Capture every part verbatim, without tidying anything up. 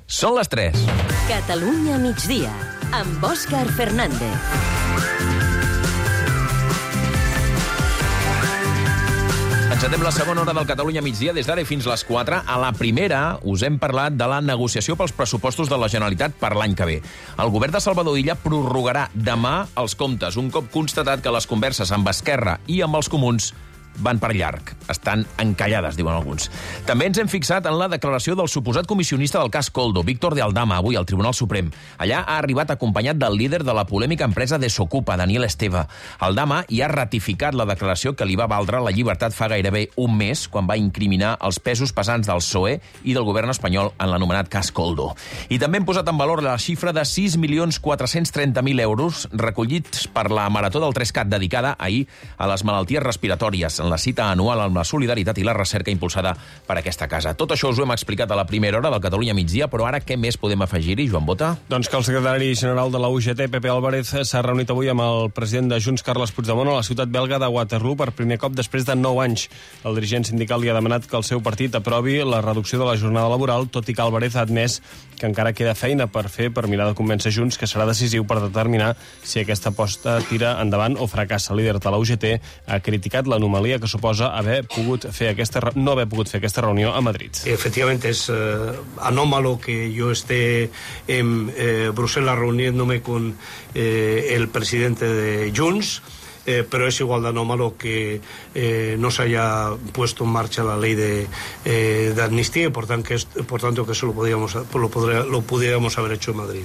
Són les tres. Catalunya migdia, amb Òscar Fernández. Encetem la segona hora del Catalunya migdia des d'ara fins les quatre. A la primera us hem parlat de la negociació pels pressupostos de la Generalitat per l'any que ve. El govern de Salvador Illa prorrogarà demà els comptes, un cop constatat que les converses amb Esquerra i amb els comuns van per llarg. Estan encallades, diuen alguns. També ens hem fixat en la declaració del suposat comissionista del cas Koldo, Víctor de Aldama, avui al Tribunal Suprem. Allà ha arribat acompanyat del líder de la polèmica empresa Desokupa, Daniel Esteve. Aldama hi ha ratificat la declaració que li va valdre la llibertat fa gairebé un mes, quan va incriminar els pesos pesants del P S O E i del govern espanyol en l'anomenat cas Koldo. I també hem posat en valor la xifra de sis milions quatre-cents trenta mil euros recollits per la Marató del tres cat dedicada ahir a les malalties respiratòries, la cita anual amb la solidaritat i la recerca impulsada per aquesta casa. Tot això us ho hem explicat a la primera hora del Catalunya migdia, però ara què més podem afegir-hi, Joan Bota? Doncs que el secretari general de la U G T, Pepe Álvarez, s'ha reunit avui amb el president de Junts, Carles Puigdemont, a la ciutat belga de Waterloo per primer cop després de nou anys. El dirigent sindical li ha demanat que el seu partit aprovi la reducció de la jornada laboral, tot i que Álvarez ha admès que encara queda feina per fer per mirar de convèncer Junts, que serà decisiu per determinar si aquesta aposta tira endavant o fracassa. El líder de la U G T ha criticat l'anomalia que suposa haver pogut fer aquesta, no haver pogut fer aquesta reunió a Madrid. Efectivamente es eh, anómalo que yo esté en eh, Bruselas reuniéndome con eh, el presidente de Junts, eh, pero es igual de anómalo que eh, no se haya puesto en marcha la ley de, eh, de amnistía y por, tan que es, por tanto que eso lo, podíamos, lo, podría, lo pudiéramos haber hecho en Madrid.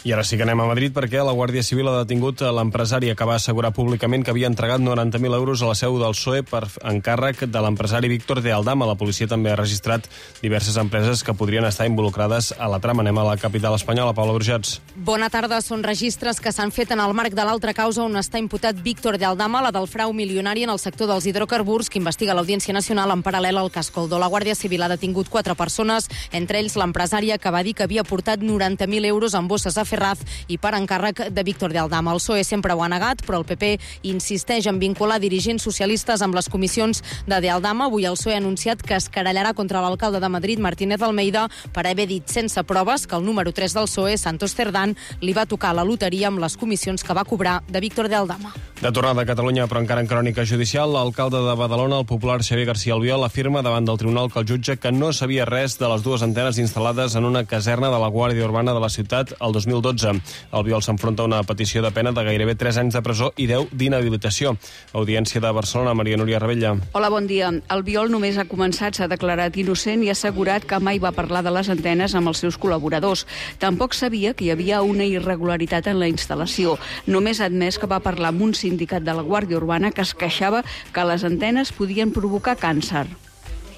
I ara sí que anem a Madrid perquè la Guàrdia Civil ha detingut l'empresari que va assegurar públicament que havia entregat noranta mil euros a la seu del P S O E per encàrrec de l'empresari Víctor de Aldama. La policia també ha registrat diverses empreses que podrien estar involucrades a la trama. Anem a la capital espanyola, Paula Burgets. Bona tarda. Són registres que s'han fet en el marc de l'altra causa on està imputat Víctor de Aldama, la del frau milionari en el sector dels hidrocarburs, que investiga l'Audiència Nacional en paral·lel al cas Koldo. La Guàrdia Civil ha detingut quatre persones, entre ells l'empresària que va dir que havia portat noranta mil euros en bosses a Ferraz i per encàrrec de Víctor de Aldama. El P S O E sempre ho ha negat, però el P P insisteix en vincular dirigents socialistes amb les comissions de de Aldama. Avui el P S O E ha anunciat que es querellarà contra l'alcalde de Madrid, Martínez Almeida, per haver dit sense proves que el número tres del P S O E, Santos Cerdán, li va tocar la loteria amb les comissions que va cobrar de Víctor de Aldama. De tornada a Catalunya, però encara en crònica judicial, l'alcalde de Badalona, el popular Xavier García Albiol, afirma davant del tribunal que el jutge que no sabia res de les dues antenes instal·lades en una caserna de la Guàrdia Urbana de la ciutat el dos mil dotze. Albiol s'enfronta a una petició de pena de gairebé tres anys de presó i deu d'inhabilitació. Audiència de Barcelona, Maria Núria Rebella. Hola, bon dia. Albiol només ha començat, s'ha declarat innocent i ha assegurat que mai va parlar de les antenes amb els seus col·laboradors. Tampoc sabia que hi havia una irregularitat en la instal·lació. Només ha admès que va parlar amb un sindicat de la Guàrdia Urbana que es queixava que les antenes podien provocar càncer.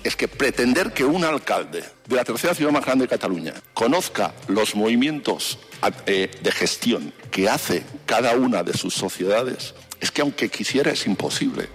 Es que pretender que un alcalde de la tercera ciudad más grande de Cataluña conozca los movimientos eh, de gestión que hace cada una de sus sociedades, es que aunque quisiera es imposible.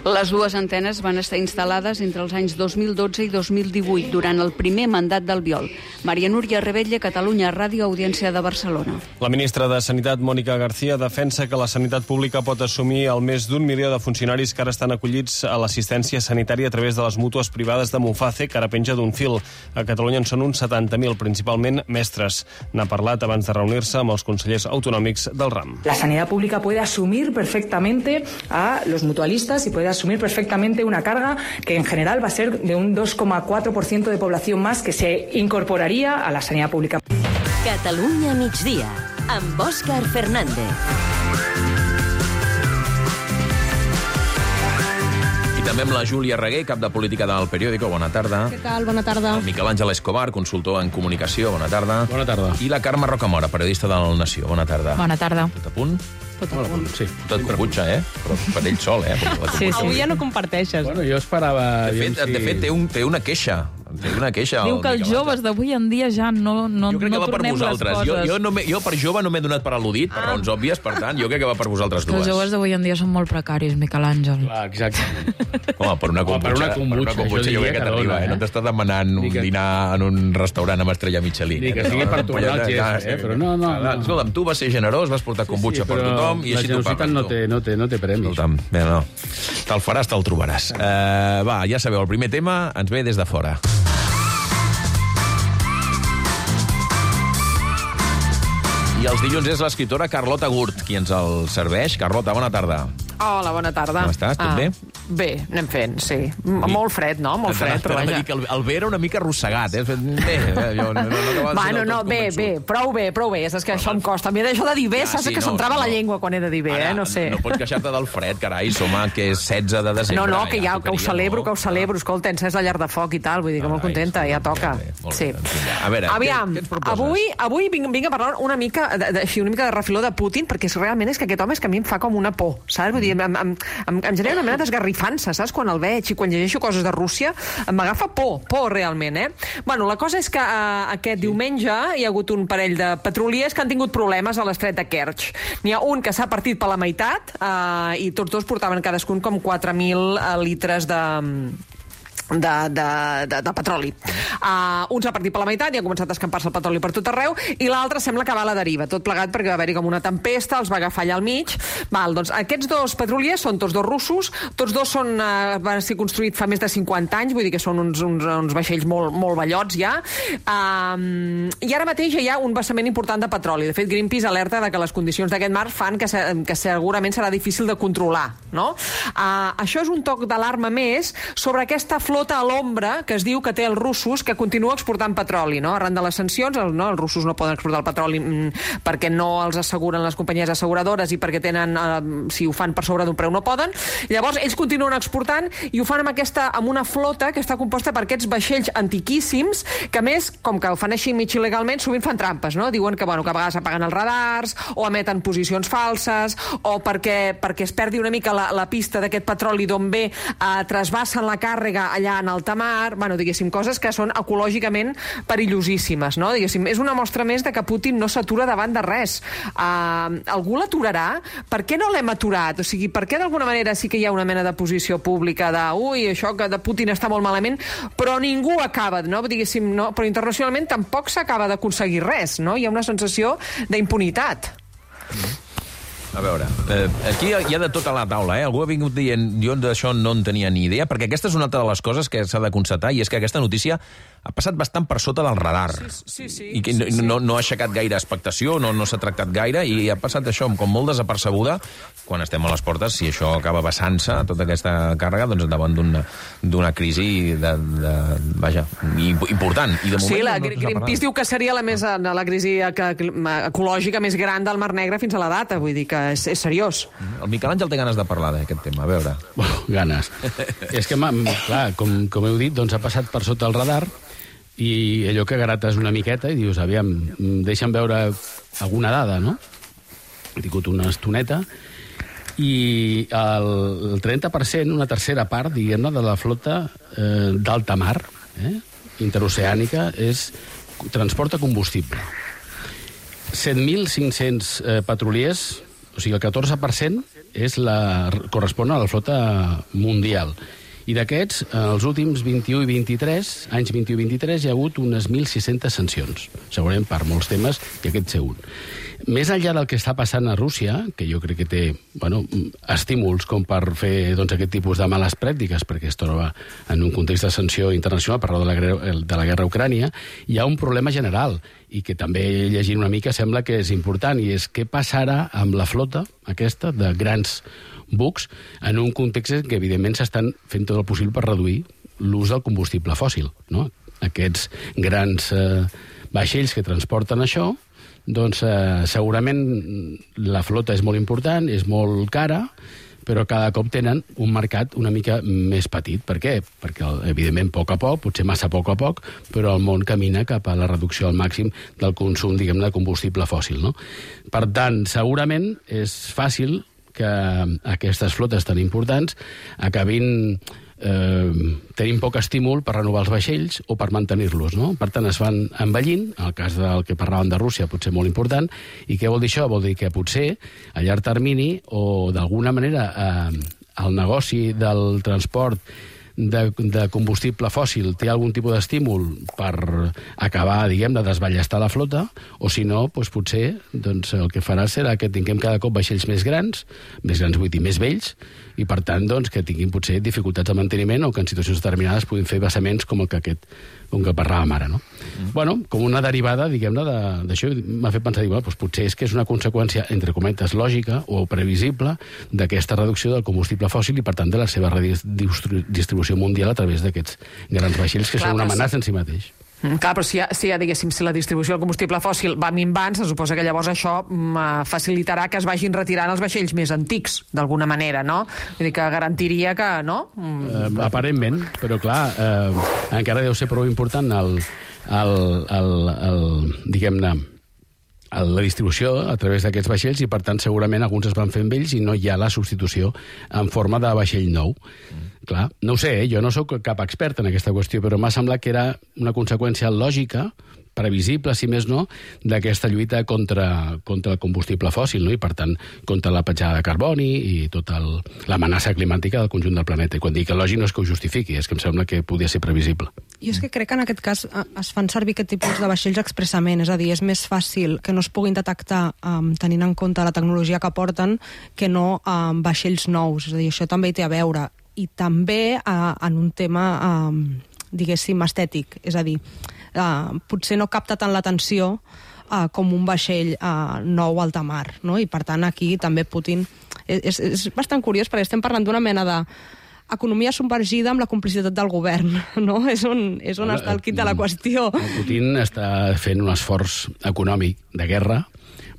Les dues antenes van estar instal·lades entre els anys dos mil dotze i dos mil divuit, durant el primer mandat d'Albiol. Maria Núria Rebella, Catalunya Ràdio, Audiència de Barcelona. La ministra de Sanitat, Mònica García, defensa que la sanitat pública pot assumir el més d'un milió de funcionaris que ara estan acollits a l'assistència sanitària a través de les mútues privades de Muface, que ara penja d'un fil. A Catalunya en són uns setanta mil, principalment mestres. N'ha parlat abans de reunir-se amb els consellers autonòmics del ram. La sanidad pública puede asumir perfectamente perfectamente a los mutualistas y puede asumir perfectamente una carga que en general va a ser de un dos coma cuatro por ciento de población más que se incorporaría a la sanidad pública. Catalunya migdia, amb Òscar Fernández. També amb la Júlia Reguer, cap de política del Periódico. Bona tarda. Què tal? Bona tarda. El Miquel Àngel Escobar, consultor en comunicació. Bona tarda. Bona tarda. I la Carme Rocamora, periodista del Nació. Bona tarda. Bona tarda. Tot a punt? Tot a punt. Sí. Tot computxa, eh? Però per ell sol, eh? Sí, sí. Avui ja no comparteixes. Bueno, jo esperava... De fet, de fet té, un, té una queixa. Té una queixa. Diu que els joves d'avui en dia ja no, no, jo crec que no va per tornem les vosaltres. coses. Jo, jo, no jo per jove no m'he donat per al·ludit, per raons òbvies, per tant, jo crec que va per vosaltres dues. Els joves d'avui en dia són molt precaris, Miquel Àngel. Clar, exacte. Home, per una computxa, per una computxa, per una computxa jo, jo crec que t'arriba, eh? No t'estàs demanant un que... dinar en un restaurant amb estrella Michelin. Ni que sigui per tornar el gest, eh? Però no, no, no. Escolta'm, tu vas ser generós, vas portar computxa per tothom i així t'ho pagues. La generositat no té, no té premis. Escolta'm, bé, no. Te'l faràs, te'l trobaràs. Uh, va, ja sabeu, el primer tema ens ve des de fora. I els dilluns és l'escriptora Carlota Gurt qui ens el serveix. Carlota, bona tarda. Hola, bona tarda. Com estàs? Tot bé? Bé, anem fent, sí. M Molt fred, no? Molt fred, però vaja. Que el, el bé era una mica arrossegat, eh? Bé, jo no, no, no bueno, no, bé, bé, prou bé, prou bé. És que això em costa. A mi això de dir bé, saps que s'entrava la llengua quan he de dir bé, eh? No sé. No pots queixar-te del fred, carai, som a que és setze de desembre. No, no, que ja, que ho celebro, que ho celebro. Escolta, encès la llar de foc i tal, vull dir que molt contenta, ja toca. Sí. A veure, aviam, avui, avui vinc, vinc a parlar una mica, de, de, una mica de refiló de Putin, perquè realment és que aquest home és que a mi em fa com una por, saps? Vull dir, em, em, em, em genera una mena d'esgarrifança, saps? Quan el veig i quan llegeixo coses de Rússia, m'agafa por, por realment, eh? Bueno, la cosa és que eh, aquest diumenge hi ha hagut un parell de petroliers que han tingut problemes a l'estret de Kerch. N'hi ha un que s'ha partit per la meitat eh, i tots dos portaven cadascun com quatre mil litres de... De, de, de, de petroli. Uh, un s'ha partit per la meitat i ha començat a escampar-se el petroli per tot arreu, i l'altre sembla que va a la deriva, tot plegat perquè va haver-hi com una tempesta, els va agafar allà al mig. Val, doncs aquests dos petroliers són tots dos russos, tots dos són, uh, van ser construïts fa més de cinquanta anys, vull dir que són uns, uns, uns vaixells molt, molt vellots ja, uh, i ara mateix hi ha un vessament important de petroli. De fet, Greenpeace alerta de que les condicions d'aquest mar fan que, se, que segurament serà difícil de controlar, no? Uh, això és un toc d'alarma més sobre aquesta flota a l'ombra que es diu que té els russos, que continua exportant petroli, no? Arran de les sancions, el, no, els russos no poden exportar el petroli mm, perquè no els asseguren les companyies asseguradores i perquè tenen, eh, si ho fan per sobre d'un preu no poden. Llavors, ells continuen exportant i ho fan amb, aquesta, amb una flota que està composta per aquests vaixells antiquíssims, que a més, com que ho fan així mig il·legalment, sovint fan trampes, no? Diuen que, bueno, que a vegades apaguen els radars o emeten posicions falses o perquè, perquè es perdi una mica la, la pista d'aquest petroli d'on ve, eh, trasbassen la càrrega allà en alta mar, bueno, diguéssim, coses que són ecològicament perillosíssimes, no? Diguéssim, és una mostra més de que Putin no s'atura davant de res. Uh, algú l'aturarà? Per què no l'hem aturat? O sigui, per què d'alguna manera sí que hi ha una mena de posició pública de, ui, això que de Putin està molt malament, però ningú acaba, no? Diguéssim, no? Però internacionalment tampoc s'acaba d'aconseguir res, no? Hi ha una sensació d'impunitat. Mm. A veure, eh, aquí hi ha de tot a la taula, eh? Algú ha vingut dient, jo d'això no en tenia ni idea, perquè aquesta és una altra de les coses que s'ha de constatar, i és que aquesta notícia ha passat bastant per sota del radar. Sí, sí, sí. I que no, no, no ha aixecat gaire expectació, no, no s'ha tractat gaire, i ha passat això com molt desapercebuda quan estem a les portes, si això acaba vessant-se, tota aquesta càrrega, doncs davant d'una crisi de, de, vaja, important. I de moment sí, la no, no Greenpeace diu que seria la, més, la crisi ecològica més gran del Mar Negre fins a la data, vull dir que és, és seriós. El Miquel Àngel té ganes de parlar d'aquest tema, a veure. Bueno, ganes. És que, clar, com, com heu dit, doncs ha passat per sota el radar, i allò que grates una miqueta i dius, aviam, deixa'm veure alguna dada, no? He tingut una estoneta, i el, el trenta per cent, una tercera part, diguem-ne, de la flota eh, d'alta mar, eh, interoceànica, és transport de combustible. set mil cinc-cents eh, petroliers, o sigui, el catorze per cent és la, correspon a la flota mundial. I d'aquests, els últims vint-i-u i vint-i-tres, anys vint-i-u i vint-i-tres, hi ha hagut unes mil sis-centes sancions, segurament per molts temes, i aquest ser un. Més enllà del que està passant a Rússia, que jo crec que té, bueno, estímuls com per fer, doncs, aquest tipus de males pràctiques, perquè es troba en un context de sanció internacional per raó de la, de la guerra a Ucrània, hi ha un problema general, i que també llegint una mica sembla que és important, i és què passarà amb la flota aquesta de grans bucs en un context en què, evidentment, s'estan fent tot el possible per reduir l'ús del combustible fòssil, no? Aquests grans eh, vaixells que transporten això, doncs eh, segurament la flota és molt important, és molt cara, però cada cop tenen un mercat una mica més petit. Per què? Perquè, evidentment, a poc a poc, potser massa a poc a poc, però el món camina cap a la reducció al màxim del consum, diguem-ne, de combustible fòssil, no? Per tant, segurament és fàcil que aquestes flotes tan importants acabin eh, tenint poc estímul per renovar els vaixells o per mantenir-los, no? Per tant, es van envellint, en el cas del que parlàvem de Rússia, potser molt important, i què vol dir això? Vol dir que potser, a llarg termini, o d'alguna manera, eh, el negoci del transport de, de combustible fòssil té algun tipus d'estímul per acabar, diguem, de desballestar la flota, o si no, doncs potser doncs, el que farà serà que tinguem cada cop vaixells més grans, més grans vull dir, més vells, i per tant doncs, que tinguin potser dificultats de manteniment o que en situacions determinades puguin fer vessaments com el que aquest com que parlàvem ara, no? Mm. Bueno, com una derivada, diguem-ne, d'això m'ha fet pensar, bueno, doncs potser és que és una conseqüència, entre cometes, lògica o previsible d'aquesta reducció del combustible fòssil i, per tant, de la seva redistribució mundial a través d'aquests grans vaixells que Clar, són una amenaça en si mateix. Mm, clar, però si ja, si ja, diguéssim, si la distribució del combustible fòssil va minvant, se suposa que llavors això mm, facilitarà que es vagin retirant els vaixells més antics, d'alguna manera, no? Vull dir que garantiria que, no? Mm. Eh, aparentment, però clar, eh, encara deu ser prou important el, el, el, el diguem-ne, la distribució a través d'aquests vaixells i, per tant, segurament alguns es van fer amb ells i no hi ha la substitució en forma de vaixell nou. Mm. Clar, no ho sé, eh? Jo no sóc cap expert en aquesta qüestió, però m'ha semblat que era una conseqüència lògica, previsible, si més no, d'aquesta lluita contra, contra el combustible fòssil, no? I, per tant, contra la petjada de carboni i tota l'amenaça climàtica del conjunt del planeta. I quan dic que lògic no és que ho justifiqui, és que em sembla que podia ser previsible. Jo és que crec que en aquest cas es fan servir aquest tipus de vaixells expressament, és a dir, és més fàcil que no es puguin detectar um, tenint en compte la tecnologia que porten que no um, vaixells nous, és a dir, això també hi té a veure. I també uh, en un tema, um, diguéssim, estètic, és a dir, uh, potser no capta tant l'atenció uh, com un vaixell uh, nou a alta mar, no? I per tant aquí també Putin... És, és bastant curiós perquè estem parlant d'una mena de economia submergida amb la complicitat del govern, no? És on, és on està el quid de la qüestió. Putin està fent un esforç econòmic de guerra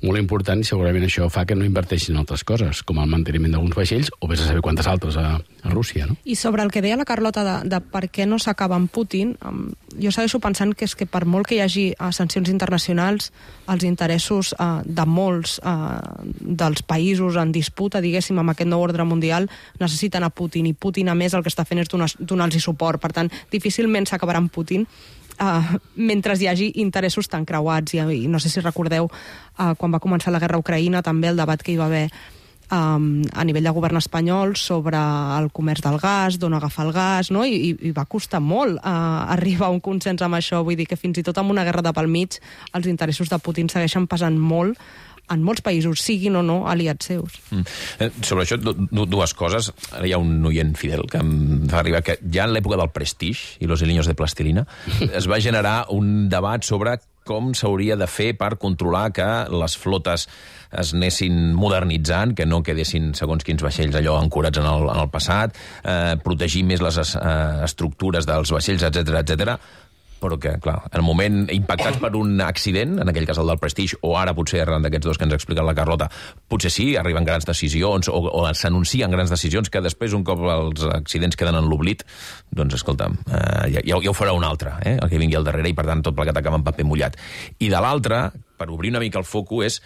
molt important i segurament això fa que no inverteixin en altres coses, com el manteniment d'alguns vaixells o vés a saber quantes altres a, a Rússia, no? I sobre el que deia la Carlota de, de per què no s'acaba amb Putin, um, jo segueixo pensant que és que per molt que hi hagi uh, sancions internacionals, els interessos uh, de molts uh, dels països en disputa, diguéssim, amb aquest nou ordre mundial, necessiten a Putin, i Putin, a més, el que està fent és donar-los suport. Per tant, difícilment s'acabarà amb Putin, Uh, mentre hi hagi interessos tan creuats i, i no sé si recordeu uh, quan va començar la guerra a Ucraïna també el debat que hi va haver um, a nivell de govern espanyol sobre el comerç del gas, d'on agafar el gas, no? I, i va costar molt uh, arribar a un consens amb això, vull dir que fins i tot amb una guerra de pel mig els interessos de Putin segueixen pesant molt en molts països, siguin o no aliats seus. Mm. Eh, sobre això, dues coses. Ara hi ha un oient fidel que em fa arribar que ja en l'època del Prestige i los hiliños de plastilina es va generar un debat sobre com s'hauria de fer per controlar que les flotes es anessin modernitzant, que no quedessin segons quins vaixells allò ancorats en el, en el passat, eh, protegir més les eh, estructures dels vaixells, etcètera, etcètera. Però que, clar, en el moment impactats per un accident, en aquell cas el del Prestige, o ara potser arran d'aquests dos que ens ha explicat la Carlota, potser sí, arriben grans decisions, o, o s'anuncien grans decisions que després, un cop els accidents queden en l'oblit, doncs, escolta'm, eh, ja, ja ho farà un altre, eh, el que vingui al darrere, i per tant tot plegat acaba en paper mullat. I de l'altre, per obrir una mica el foco, és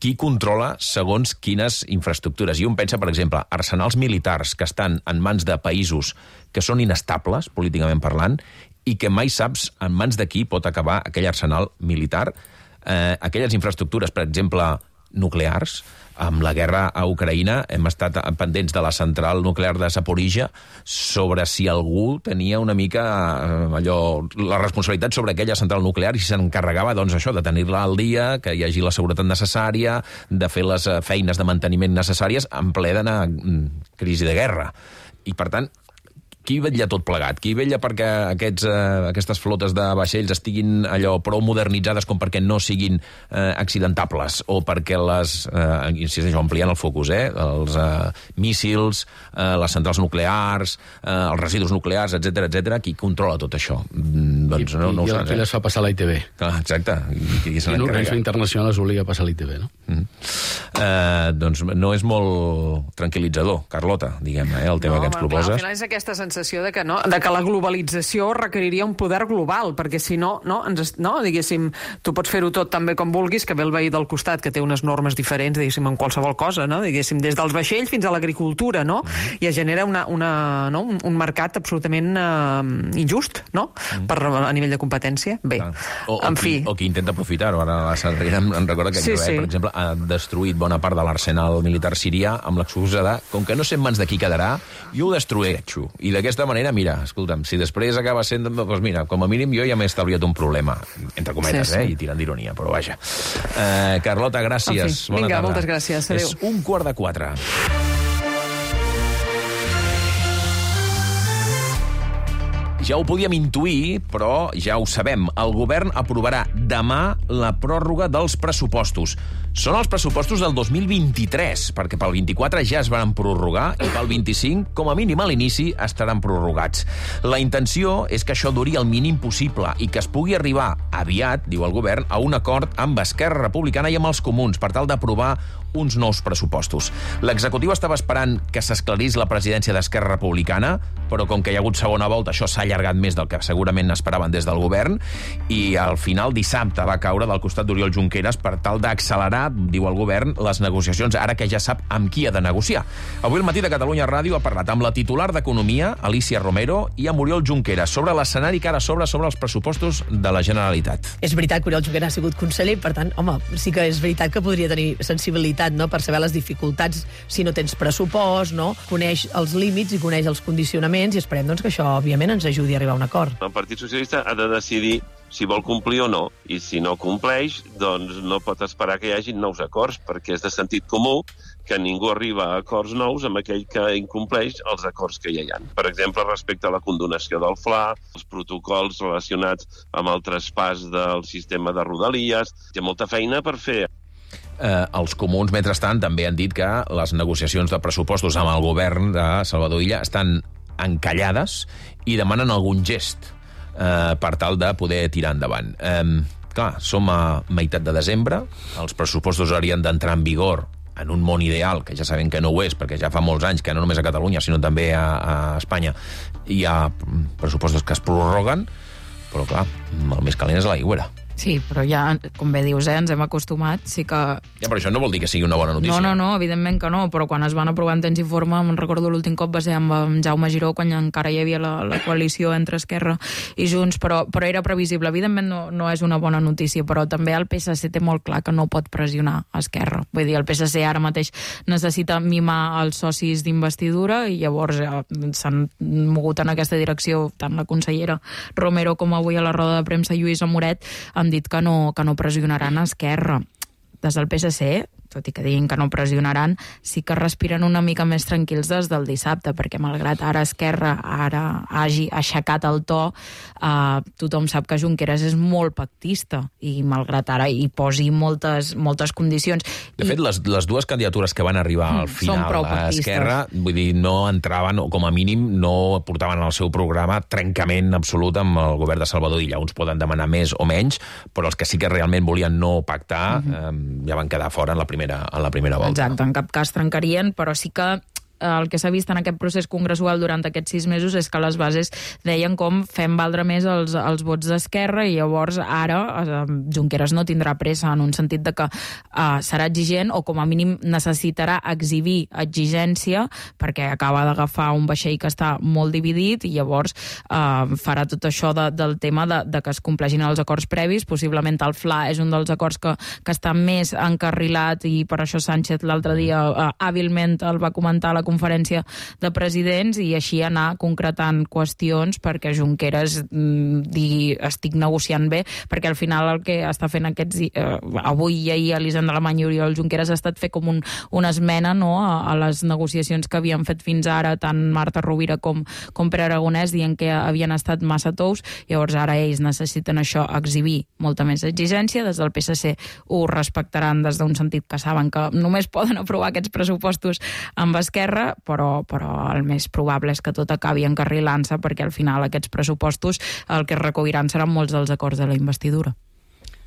qui controla segons quines infraestructures. I un pensa, per exemple, arsenals militars que estan en mans de països que són inestables, políticament parlant, i que mai saps en mans de qui pot acabar aquell arsenal militar. Eh, aquelles infraestructures, per exemple, nuclears, amb la guerra a Ucraïna hem estat pendents de la central nuclear de Zaporizhia sobre si algú tenia una mica eh, allò, la responsabilitat sobre aquella central nuclear i s'encarregava, doncs, això, de tenir-la al dia, que hi hagi la seguretat necessària, de fer les feines de manteniment necessàries en ple d'anar crisi de guerra. I, per tant, qui vetlla tot plegat? Qui vetlla perquè aquests, eh, aquestes flotes de vaixells estiguin allò prou modernitzades com perquè no siguin eh, accidentables o perquè les, eh, insisteixo, ampliant el focus, eh, els eh, míssils, eh, les centrals nuclears, eh, els residus nuclears, etcètera, etcètera, qui controla tot això? Mm, doncs I, no, no i ho el saps, que eh? les fa passar a la I T V. Ah, exacte. I, i, I l'organisme internacional es obliga a passar a la I T V, no? Mm. Eh, doncs no és molt tranquil·litzador, Carlota, diguem-ne, eh, el tema no, que ens clar, proposes. al final és aquesta sensació de que, no, de que la globalització requeriria un poder global, perquè si no, no, ens, no diguéssim, tu pots fer-ho tot també com vulguis, que ve el veí del costat, que té unes normes diferents, diguéssim, en qualsevol cosa, no? Diguéssim, des dels vaixells fins a l'agricultura, no? Mm. I es genera una, una, no? un, un mercat absolutament uh, injust, no? Mm. Per, a nivell de competència. Bé, o, en o fi. Qui, o qui intenta aprofitar-ho. Ara la Sarriera em, em recorda que, sí, sí. per exemple, ha destruït bona part de l'arsenal militar sirià amb l'excusa de, com que no sé en mans de qui quedarà, jo ho destrueixo. I d'aquesta manera, mira, escolta'm, si després acaba sent, doncs mira, com a mínim jo ja m'he estalviat un problema, entre cometes, sí, sí. eh, i tirant d'ironia, però vaja. Eh, Carlota, gràcies. Bona Vinga, tarda. Moltes gràcies. Adéu. És un quart de quatre. Ja ho podíem intuir, però ja ho sabem. El govern aprovarà demà la pròrroga dels pressupostos. Són els pressupostos del dos mil vint-i-tres, perquè pel vint-i-quatre ja es van prorrogar i pel vint-i-cinc, com a mínim a l'inici, estaran prorrogats. La intenció és que això duri el mínim possible i que es pugui arribar aviat, diu el govern, a un acord amb Esquerra Republicana i amb els comuns per tal d'aprovar uns nous pressupostos. L'executiu estava esperant que s'esclarís la presidència d'Esquerra Republicana, però com que hi ha hagut segona volta, això s'ha allargat més del que segurament esperaven des del govern, i al final dissabte va caure del costat d'Oriol Junqueras per tal d'accelerar, diu el govern, les negociacions, ara que ja sap amb qui ha de negociar. Avui al matí de Catalunya Ràdio ha parlat amb la titular d'Economia, Alicia Romero, i amb Oriol Junqueras sobre l'escenari que ara s'obre sobre els pressupostos de la Generalitat. És veritat que Oriol Junqueras ha sigut conseller, per tant, home, sí que és veritat que podria tenir sensibilitat, no?, per saber les dificultats si no tens pressupost, no? Coneix els límits i coneix els condicionaments i esperem doncs, que això, òbviament, ens ajudi a arribar a un acord. El Partit Socialista ha de decidir si vol complir o no, i si no compleix, doncs no pot esperar que hi hagi nous acords, perquè és de sentit comú que ningú arriba a acords nous amb aquell que incompleix els acords que ja hi ha. Per exemple, respecte a la condonació del F L A, els protocols relacionats amb el traspàs del sistema de Rodalies, hi ha molta feina per fer. Eh, els comuns, mentrestant, també han dit que les negociacions de pressupostos amb el govern de Salvador Illa estan encallades i demanen algun gest eh, per tal de poder tirar endavant. Eh, clar, som a meitat de desembre, els pressupostos haurien d'entrar en vigor en un món ideal, que ja sabem que no ho és, perquè ja fa molts anys que no només a Catalunya, sinó també a, a Espanya, hi ha pressupostos que es prorroguen, però clar, el més calent és la aigüera. Sí, però ja, com bé dius, eh, ens hem acostumat, sí que... Ja, però això no vol dir que sigui una bona notícia. No, no, no, evidentment que no, però quan es van aprovar en temps i forma, me'n recordo l'últim cop va ser amb, amb Jaume Giró, quan encara hi havia la, la coalició entre Esquerra i Junts, però, però era previsible. Evidentment no, no és una bona notícia, però també el P S C té molt clar que no pot pressionar Esquerra. Vull dir, el P S C ara mateix necessita mimar els socis d'investidura i llavors ja, s'han mogut en aquesta direcció tant la consellera Romero com avui a la roda de premsa Lluïsa Moret han dit que no, que no pressionaran a Esquerra. Des del P S C, tot i que diguin que no pressionaran, sí que respiren una mica més tranquils des del dissabte, perquè malgrat ara Esquerra ara hagi aixecat el to, eh, tothom sap que Junqueras és molt pactista i malgrat ara hi posi moltes, moltes condicions. De fet, les, les dues candidatures que van arribar al final a Esquerra, vull dir, no entraven, o com a mínim no portaven al seu programa trencament absolut amb el govern de Salvador Illa. Uns poden demanar més o menys, però els que sí que realment volien no pactar uh-huh. eh, ja van quedar fora en la primera en la primera volta. Exacte, en cap cas trencarien, però sí que el que s'ha vist en aquest procés congressual durant aquests sis mesos és que les bases deien com fem valdre més els, els vots d'Esquerra i llavors ara eh, Junqueras no tindrà pressa en un sentit de que eh, serà exigent o com a mínim necessitarà exhibir exigència perquè acaba d'agafar un vaixell que està molt dividit i llavors eh, farà tot això de, del tema de, de que es compleixin els acords previs. Possiblement el F L A és un dels acords que, que està més encarrilat i per això Sánchez l'altre dia eh, hàbilment el va comentar a la conferència de presidents i així anar concretant qüestions perquè Junqueras mm, digui estic negociant bé, perquè al final el que està fent aquests eh, avui i ahir Elisenda Alemany i Oriol Junqueras ha estat fer com un, una esmena no, a, a les negociacions que havien fet fins ara tant Marta Rovira com, com Pere Aragonès dient que havien estat massa tous, llavors ara ells necessiten això, exhibir molta més exigència, des del P S C ho respectaran des d'un sentit que saben que només poden aprovar aquests pressupostos amb Esquerra, però, però el més probable és que tot acabi encarrilant-se perquè al final aquests pressupostos el que es recolliran seran molts dels acords de la investidura.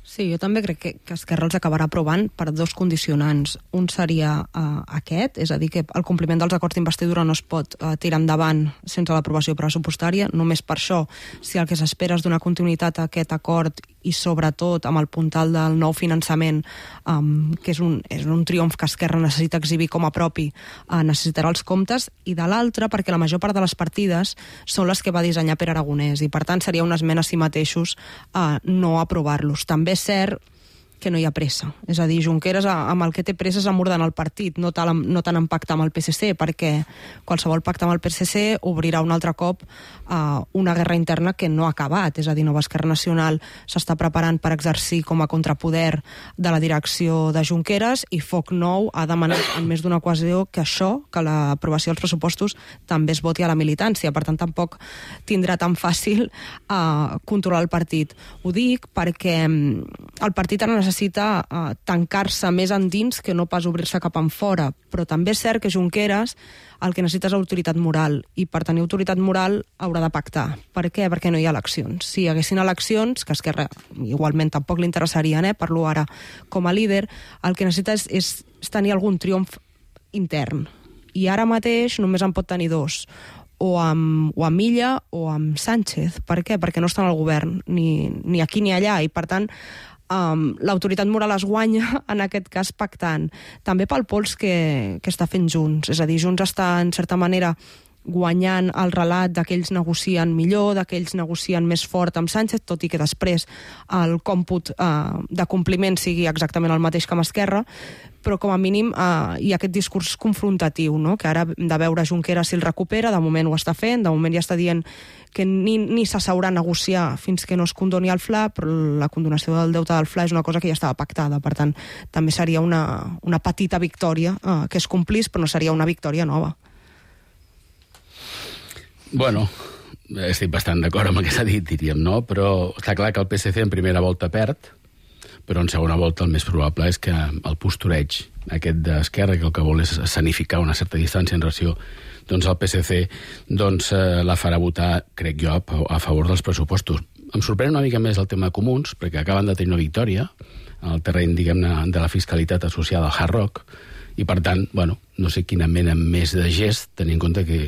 Sí, jo també crec que, que Esquerra els acabarà aprovant per dos condicionants. Un seria uh, aquest, és a dir, que el compliment dels acords d'investidura no es pot uh, tirar endavant sense l'aprovació pressupostària. Només per això, si el que s'espera és donar continuïtat a aquest acord i sobretot amb el puntal del nou finançament, um, que és un, és un triomf que Esquerra necessita exhibir com a propi, uh, necessitarà els comptes, i de l'altra perquè la major part de les partides són les que va dissenyar Pere Aragonès i per tant seria una esmena a si mateixos uh, no aprovar-los. També és cert que no hi ha pressa. És a dir, Junqueras amb el que té pressa és amordant el partit, no tant, no tant en pacte amb el P S C, perquè qualsevol pacte amb el P S C obrirà un altre cop uh, una guerra interna que no ha acabat. És a dir, Nova Esquerra Nacional s'està preparant per exercir com a contrapoder de la direcció de Junqueras i Foc Nou ha demanat en més d'una ocasió que això, que l'aprovació dels pressupostos, també es voti a la militància. Per tant, tampoc tindrà tan fàcil uh, controlar el partit. Ho dic perquè el partit ara necessita necessita uh, tancar-se més endins que no pas obrir-se cap en fora. Però també és cert que Junqueras el que necessita és autoritat moral, i per tenir autoritat moral haurà de pactar. Per què? Perquè no hi ha eleccions. Si hi haguessin eleccions, que Esquerra igualment tampoc li interessarien, eh, parlo ara com a líder, el que necessita és, és, és tenir algun triomf intern. I ara mateix només en pot tenir dos, o amb, o amb Illa o amb Sánchez. Per què? Perquè no estan al govern, ni, ni aquí ni allà, i per tant Um, l'autoritat moral es guanya en aquest cas pactant, també pel pols que, que està fent Junts. És a dir, Junts està en certa manera guanyant el relat d'aquells negocien millor, d'aquells negocien més fort amb Sánchez, tot i que després el còmput uh, de compliment sigui exactament el mateix que amb Esquerra, però com a mínim uh, hi ha aquest discurs confrontatiu, no? Que ara hem de veure Junqueras si el recupera, de moment ho està fent, de moment ja està dient que ni, ni s'asseurà a negociar fins que no es condoni el F L A, però la condonació del deute del F L A és una cosa que ja estava pactada, per tant també seria una, una petita victòria uh, que es complís, però no seria una victòria nova. Bueno, estic bastant d'acord amb el que s'ha dit, diríem, no? Però està clar que el P S C en primera volta perd, però en segona volta el més probable és que el postureig aquest d'Esquerra, que el que vol és escenificar una certa distància en relació doncs el P S C, doncs eh, la farà votar, crec jo, a favor dels pressupostos. Em sorprèn una mica més el tema de comuns, perquè acaben de tenir una victòria en el terreny, diguem-ne, de la fiscalitat associada al Hard Rock, i per tant, bueno, no sé quina mena més de gest, tenint en compte que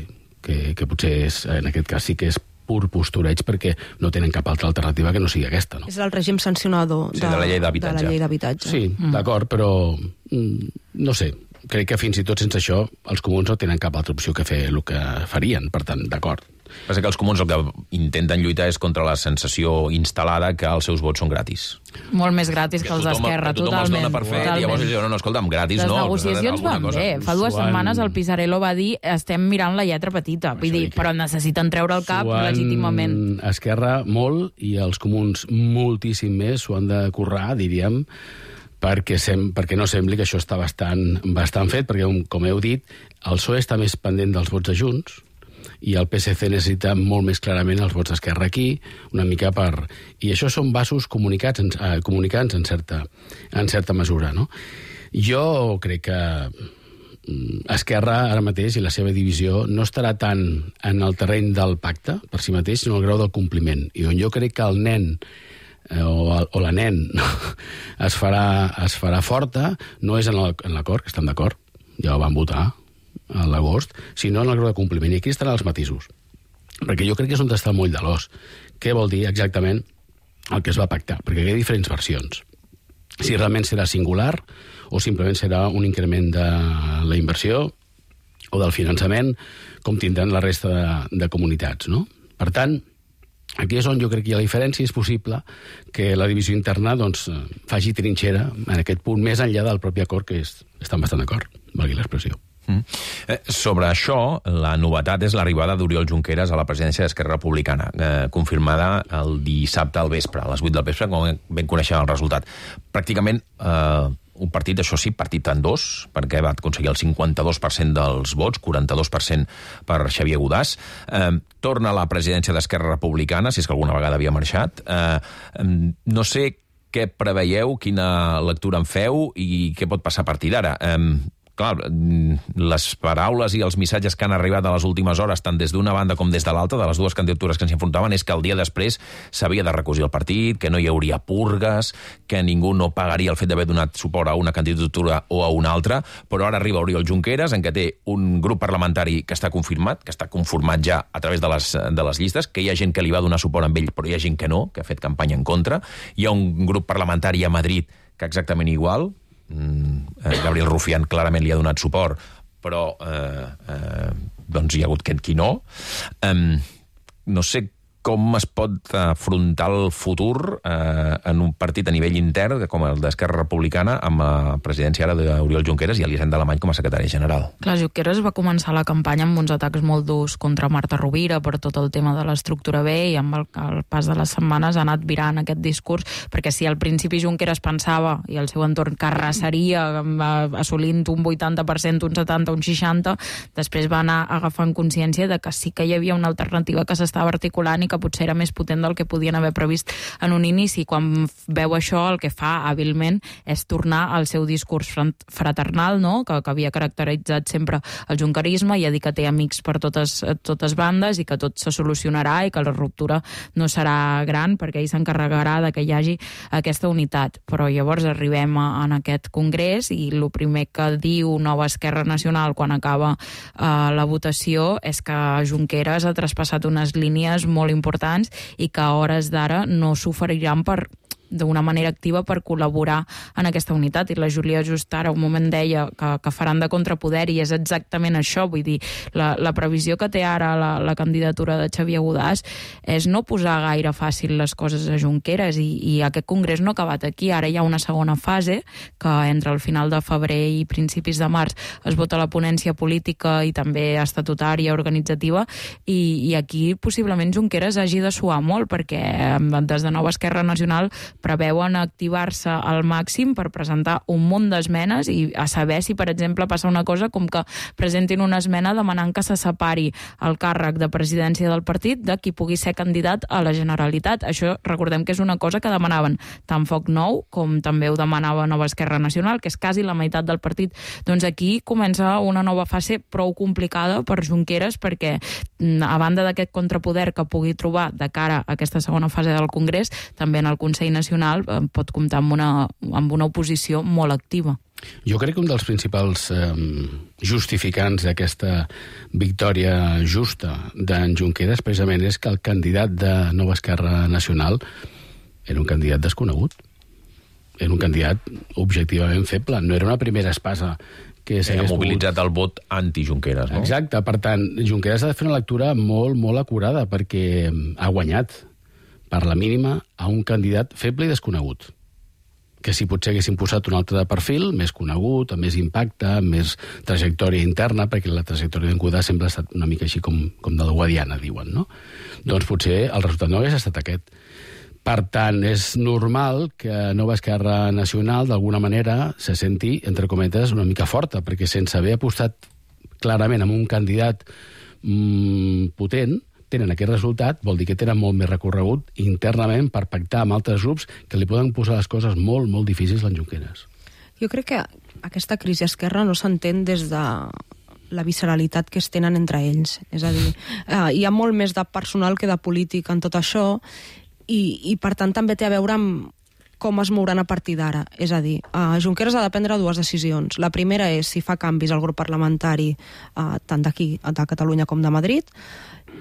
Que, que potser és, en aquest cas sí que és pur postureig, perquè no tenen cap altra alternativa que no sigui aquesta, no? És el règim sancionador de, sí, de la llei d'habitatge. De la llei d'habitatge. Sí, mm. d'acord, però mm, no sé, crec que fins i tot sense això els comuns no tenen cap altra opció que fer el que farien, per tant, d'acord. Passa que els comuns el que intenten lluitar és contra la sensació instal·lada que els seus vots són gratis. Molt més gratis que, que els d'Esquerra, totalment. Que tothom els dona per fet, i llavors no, no, escolta'm, gratis les no. Les negociacions van cosa. bé. Fa dues Suan... setmanes el Pisarello va dir estem mirant la lletra petita, vull dir, que... però necessiten treure el cap Suan... legítimament. Esquerra molt, i els comuns moltíssim més, s'ho han de currar, diríem, perquè, sem perquè no sembli que això està bastant, bastant fet, perquè, com heu dit, el P S O E està més pendent dels vots de Junts, i el P S C necessita molt més clarament els vots d'Esquerra aquí, una mica per... I això són vasos comunicats, eh, comunicants en certa, en certa mesura, no? Jo crec que Esquerra ara mateix i la seva divisió no estarà tant en el terreny del pacte per si mateix, sinó el grau del compliment. I on jo crec que el nen eh, o, el, o la nen no, es, farà, es farà forta no és en l'acord, que estan d'acord, ja ho van votar a l'agost, sinó en el grau de compliment. I aquí estan els matisos. Perquè jo crec que és on està el moll de l'os. Què vol dir exactament el que es va pactar? Perquè hi ha diferents versions. Si realment serà singular o simplement serà un increment de la inversió o del finançament, com tindran la resta de, de comunitats, no? Per tant, aquí és on jo crec que hi ha la diferència. És possible que la divisió interna doncs, faci trinxera en aquest punt, més enllà del propi acord, que és, estan bastant d'acord, valgui l'expressió. Mm. Eh, sobre això, la novetat és l'arribada d'Oriol Junqueras a la presidència d'Esquerra Republicana, eh, confirmada el dissabte al vespre, a les vuit del vespre, com ben coneixem el resultat. Pràcticament eh, un partit, això sí, partit en dos, perquè va aconseguir el cinquanta-dos per cent dels vots, quaranta-dos per cent per Xavier Godàs. Eh, torna a la presidència d'Esquerra Republicana, si és que alguna vegada havia marxat. Eh, no sé què preveieu, quina lectura en feu i què pot passar a partir d'ara. Eh, Clar, les paraules i els missatges que han arribat a les últimes hores, tant des d'una banda com des de l'altra, de les dues candidatures que s'enfrontaven, és que el dia després s'havia de recosir el partit, que no hi hauria purgues, que ningú no pagaria el fet d'haver donat suport a una candidatura o a una altra, però ara arriba Oriol Junqueras, en què té un grup parlamentari que està confirmat, que està conformat ja a través de les, de les llistes, que hi ha gent que li va donar suport amb ell, però hi ha gent que no, que ha fet campanya en contra. Hi ha un grup parlamentari a Madrid que exactament igual, Gabriel Rufián clarament li ha donat suport, però eh, eh, doncs hi ha hagut qui no. Eh, no sé com es pot afrontar el futur eh, en un partit a nivell intern, com el d'Esquerra Republicana, amb la presidència ara d'Oriol Junqueras i Elisenda Alemany com a secretari general. Clar, Junqueras va començar la campanya amb uns atacs molt durs contra Marta Rovira per tot el tema de l'estructura B, i amb el, el pas de les setmanes ha anat virant aquest discurs, perquè si al principi Junqueras pensava, i el seu entorn carrassaria assolint un vuitanta per cent, un setanta, un seixanta, després va anar agafant consciència de que sí que hi havia una alternativa que s'estava articulant i que potser era més potent del que podien haver previst en un inici. Quan veu això, el que fa hàbilment és tornar al seu discurs fraternal, no? que, que havia caracteritzat sempre el junquerisme, i a dir que té amics per totes, totes bandes i que tot se solucionarà i que la ruptura no serà gran perquè ell s'encarregarà de que hi hagi aquesta unitat. Però llavors arribem a, en aquest congrés i el primer que diu Nova Esquerra Nacional quan acaba eh, la votació és que Junqueras ha traspassat unes línies molt importants importants i que a hores d'ara no s'oferiran per d'una manera activa per col·laborar en aquesta unitat. I la Júlia just ara un moment deia que, que faran de contrapoder, i és exactament això. Vull dir, la, la previsió que té ara la, la candidatura de Xavier Godàs és no posar gaire fàcil les coses a Junqueras, i, i aquest congrés no ha acabat aquí. Ara hi ha una segona fase que entre el final de febrer i principis de març es vota la ponència política i també estatutària, organitzativa, i, i aquí possiblement Junqueras hagi de suar molt, perquè des de Nova Esquerra Nacional preveuen activar-se al màxim per presentar un munt d'esmenes i a saber si, per exemple, passa una cosa com que presentin una esmena demanant que se separi el càrrec de presidència del partit de qui pugui ser candidat a la Generalitat. Això recordem que és una cosa que demanaven tant Foc Nou com també ho demanava Nova Esquerra Nacional, que és quasi la meitat del partit. Doncs aquí comença una nova fase prou complicada per Junqueras, perquè a banda d'aquest contrapoder que pugui trobar de cara a aquesta segona fase del Congrés, també en el Consell Nacional pot comptar amb una, amb una oposició molt activa. Jo crec que un dels principals eh, justificants d'aquesta victòria justa d'en Junqueras precisament és que el candidat de Nova Esquerra Nacional era un candidat desconegut. Era un candidat objectivament feble. No era una primera espasa que s'hagués mobilitzat el vot anti-Junqueras, no? Exacte. Per tant, Junqueras ha de fer una lectura molt, molt acurada, perquè ha guanyat per la mínima a un candidat feble i desconegut, que si potser haguessin posat un altre de perfil, més conegut, amb més impacte, amb més trajectòria interna, perquè la trajectòria d'en Godàs sempre ha estat una mica així com, com de la Guadiana, diuen, no? Doncs potser el resultat no hagués estat aquest. Per tant, és normal que Nova Esquerra Nacional, d'alguna manera, se senti, entre cometes, una mica forta, perquè sense haver apostat clarament amb un candidat mmm, potent, tenen aquest resultat, vol dir que tenen molt més recorregut internament per pactar amb altres grups que li poden posar les coses molt, molt difícils a en Junqueras. Jo crec que aquesta crisi esquerra no s'entén des de la visceralitat que es tenen entre ells. És a dir, eh, hi ha molt més de personal que de polític en tot això, i, i per tant també té a veure amb com es mouran a partir d'ara. És a dir, uh, Junqueras ha de prendre dues decisions. La primera és si fa canvis al grup parlamentari uh, tant d'aquí, de Catalunya com de Madrid,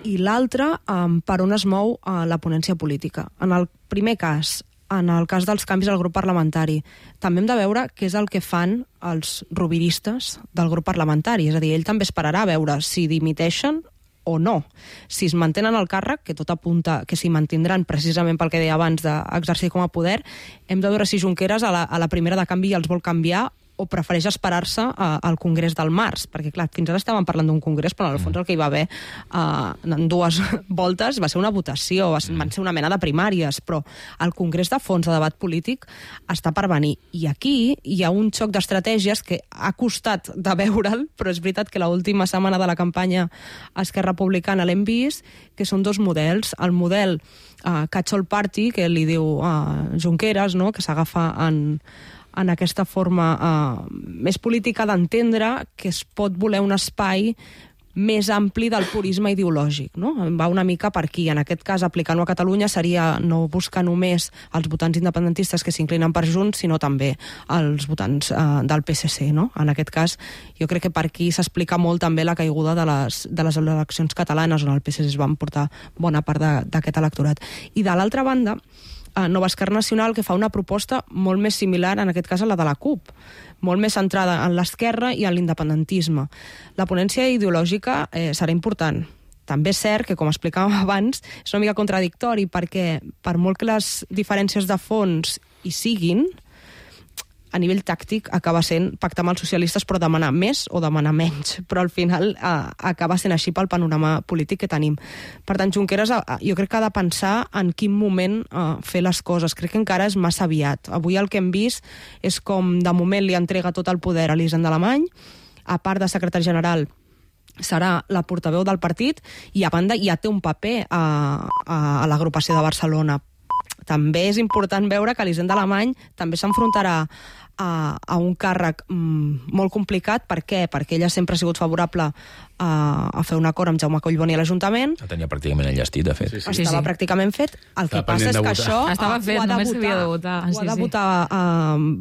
i l'altra, um, per on es mou uh, la ponència política. En el primer cas, en el cas dels canvis al grup parlamentari, també hem de veure què és el que fan els roviristes del grup parlamentari. És a dir, ell també esperarà a veure si dimiteixen o no. Si es mantenen al càrrec, que tot apunta que s'hi mantindran precisament pel que deia abans d'exercir com a poder, hem de veure si Junqueras a la, a la primera de canvi els vol canviar o prefereix esperar-se uh, al Congrés del març, perquè clar, fins ara estàvem parlant d'un Congrés, però en el fons el que hi va haver uh, en dues voltes va ser una votació, va ser, van ser una mena de primàries, però el Congrés de fons de debat polític està per venir. I aquí hi ha un xoc d'estratègies que ha costat de veure'l, però és veritat que l'última setmana de la campanya Esquerra Republicana l'hem vist, que són dos models. El model uh, Catch-all Party, que li diu uh, Junqueras, no?, que s'agafa en en aquesta forma uh, més política d'entendre que es pot voler un espai més ampli del purisme ideològic, no? Va una mica per aquí. En aquest cas, aplicant-ho a Catalunya seria no buscar només els votants independentistes que s'inclinen per Junts, sinó també els votants uh, del P S C, no? En aquest cas, jo crec que per aquí s'explica molt també la caiguda de les, de les eleccions catalanes, on el P S C es va emportar bona part d'aquest electorat. I de l'altra banda, Nova Esquerra Nacional, que fa una proposta molt més similar, en aquest cas a la de la CUP, molt més centrada en l'esquerra i en l'independentisme. La ponència ideològica eh, serà important, també és cert que, com explicàvem abans, és una mica contradictori, perquè per molt que les diferències de fons hi siguin, a nivell tàctic acaba sent pactar amb els socialistes però demanar més o demanar menys, però al final eh, acaba sent així pel panorama polític que tenim. Per tant, Junqueras eh, jo crec que ha de pensar en quin moment eh, fer les coses. Crec que encara és massa aviat. Avui el que hem vist és com de moment li entrega tot el poder a l'Hisenda Alemany, a part de secretari general serà la portaveu del partit i a banda ja té un paper a, a, a l'agrupació de Barcelona. També és important veure que l'Hisenda Alemany també s'enfrontarà a, a un càrrec mm, molt complicat. Per què? Perquè ella sempre ha sigut favorable a, a fer un acord amb Jaume Collboni a l'Ajuntament. La tenia pràcticament enllestit, de fet. Sí, sí. Estava sí. pràcticament fet. El que passa és que això Estava fet, ho ha de només votar, s'havia de votar. ho ha de votar a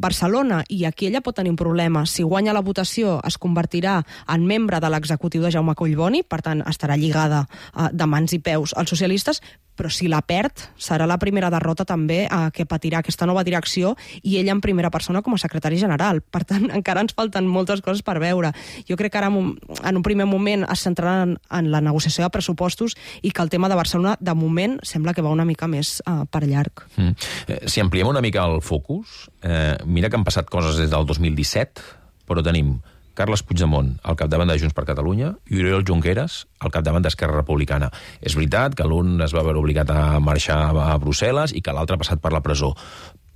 Barcelona, i aquí ella pot tenir un problema. Si guanya la votació, es convertirà en membre de l'executiu de Jaume Collboni, per tant estarà lligada uh, de mans i peus als socialistes, però si la perd, serà la primera derrota també eh, que patirà aquesta nova direcció, i ella en primera persona com a secretari general. Per tant, encara ens falten moltes coses per veure. Jo crec que ara en un primer moment es centraran en la negociació de pressupostos i que el tema de Barcelona, de moment, sembla que va una mica més eh, per llarg. Mm. Eh, si ampliem una mica el focus, eh, mira que han passat coses des del dos mil disset, però tenim Carles Puigdemont al capdavant de Junts per Catalunya i Oriol Junqueras al capdavant d'Esquerra Republicana. És veritat que l'un es va veure obligat a marxar a Brussel·les i que l'altre ha passat per la presó,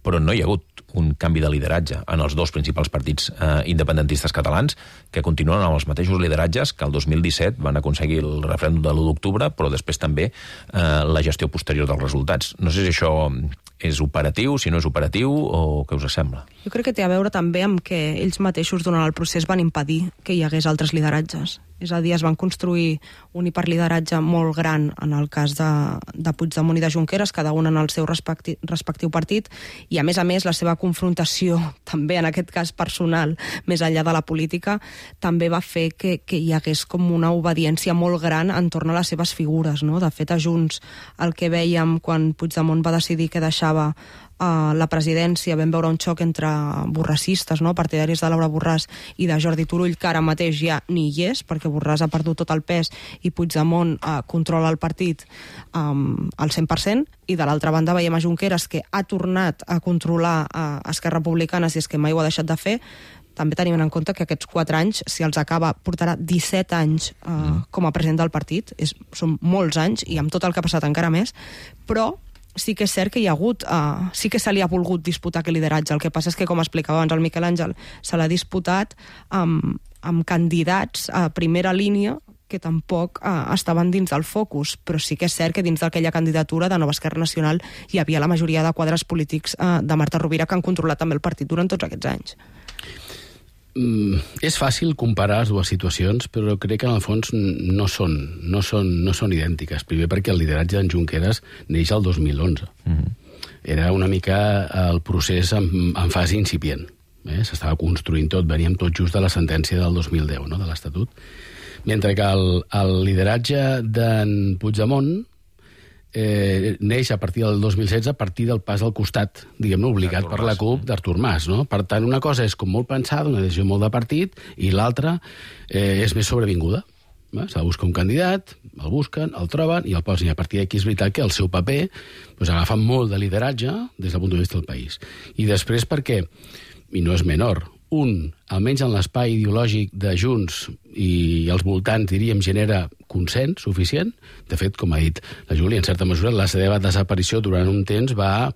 però no hi ha hagut un canvi de lideratge en els dos principals partits eh, independentistes catalans, que continuen amb els mateixos lideratges que el dos mil disset van aconseguir el referèndum de l'u d'octubre, però després també eh, la gestió posterior dels resultats. No sé si això és operatiu, si no és operatiu, o què us sembla? Jo crec que té a veure també amb que ells mateixos durant el procés van impedir que hi hagués altres lideratges. És a dir, es van construir un hiperlideratge molt gran en el cas de, de Puigdemont i de Junqueras, cada un en el seu respecti, respectiu partit, i a més a més la seva confrontació, també en aquest cas personal, més enllà de la política, també va fer que, que hi hagués com una obediència molt gran entorn a les seves figures, no? De fet, a Junts, el que vèiem quan Puigdemont va decidir que deixava a la presidència, vam veure un xoc entre borrassistes, no? Partidaris de Laura Borràs i de Jordi Turull, que ara mateix ja ni hi és, perquè Borràs ha perdut tot el pes i Puigdemont eh, controla el partit um, al cent per cent, i de l'altra banda veiem a Junqueras, que ha tornat a controlar eh, Esquerra Republicana, si és que mai ho ha deixat de fer. També tenim en compte que aquests quatre anys, si els acaba, portarà disset anys eh, mm. com a president del partit. És, són molts anys, i amb tot el que ha passat encara més, però sí que és cert que hi ha hagut, uh, sí que se li ha volgut disputar aquest lideratge. El que passa és que, com explicava abans el Miquel Àngel, se l'ha disputat amb, amb candidats a primera línia que tampoc uh, estaven dins del focus, però sí que és cert que dins d'aquella candidatura de Nova Esquerra Nacional hi havia la majoria de quadres polítics uh, de Marta Rovira, que han controlat també el partit durant tots aquests anys. Mm, és fàcil comparar les dues situacions, però crec que en el fons no són, no són, no són idèntiques. Primer perquè el lideratge d'en Junqueras neix el dos mil onze. Mm-hmm. Era una mica el procés en, en fase incipient. Eh? S'estava construint tot, veníem tot just de la sentència del dos mil deu, no? De l'Estatut. Mentre que el, el lideratge d'en Puigdemont eh, neix a partir del dos mil setze, a partir del pas al costat, diguem-ne, obligat per la CUP d'Artur Mas, no? Per tant, una cosa és com molt pensada, una decisió molt de partit, i l'altra eh, és més sobrevinguda. Eh? S'ha de buscar un candidat, el busquen, el troben i el posen. I a partir d'aquí és veritat que el seu paper doncs, agafa molt de lideratge des del punt de vista del país. I després perquè, i no és menor, un, almenys en l'espai ideològic de Junts i els voltants, diríem, genera consens suficient. De fet, com ha dit la Júlia, en certa mesura, la seva desaparició durant un temps va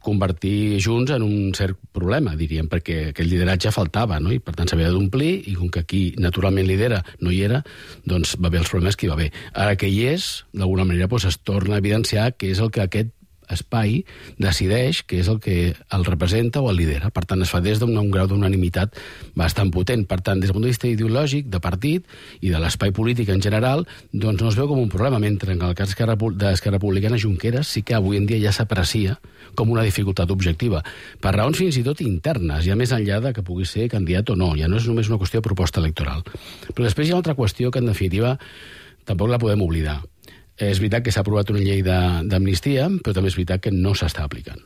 convertir Junts en un cert problema, diríem, perquè aquell lideratge faltava, no? I per tant s'havia d'omplir, i com que aquí naturalment lidera no hi era, doncs va haver els problemes que hi va haver. Ara que hi és, d'alguna manera doncs, es torna a evidenciar que és el que aquest espai decideix que és el que el representa o el lidera. Per tant, es fa des d'un grau d'unanimitat bastant potent. Per tant, des del punt de vista ideològic, de partit i de l'espai polític en general, doncs no es veu com un problema, mentre en el cas d'Esquerra Republicana, Junqueras sí que avui en dia ja s'aprecia com una dificultat objectiva, per raons fins i tot internes, ja més enllà de que pugui ser candidat o no. Ja no és només una qüestió de proposta electoral. Però després hi ha una altra qüestió que, en definitiva, tampoc la podem oblidar. És veritat que s'ha aprovat una llei d'amnistia, però també és veritat que no s'està aplicant.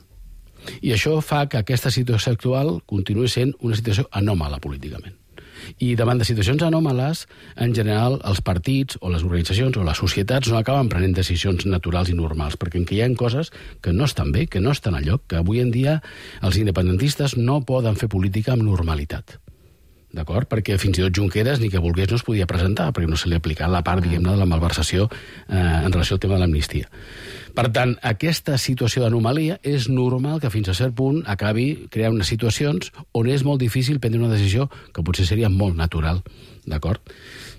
I això fa que aquesta situació actual continuï sent una situació anòmala políticament. I davant de situacions anòmales, en general, els partits o les organitzacions o les societats no acaben prenent decisions naturals i normals, perquè en què hi ha coses que no estan bé, que no estan a lloc, que avui en dia els independentistes no poden fer política amb normalitat. D'acord? Perquè fins i tot Junqueras, ni que volgués, no es podia presentar, perquè no se li ha aplicat la part, diguem-ne, de la malversació eh, en relació al tema de l'amnistia. Per tant, aquesta situació d'anomalia és normal que fins a cert punt acabi creant unes situacions on és molt difícil prendre una decisió que potser seria molt natural. D'acord?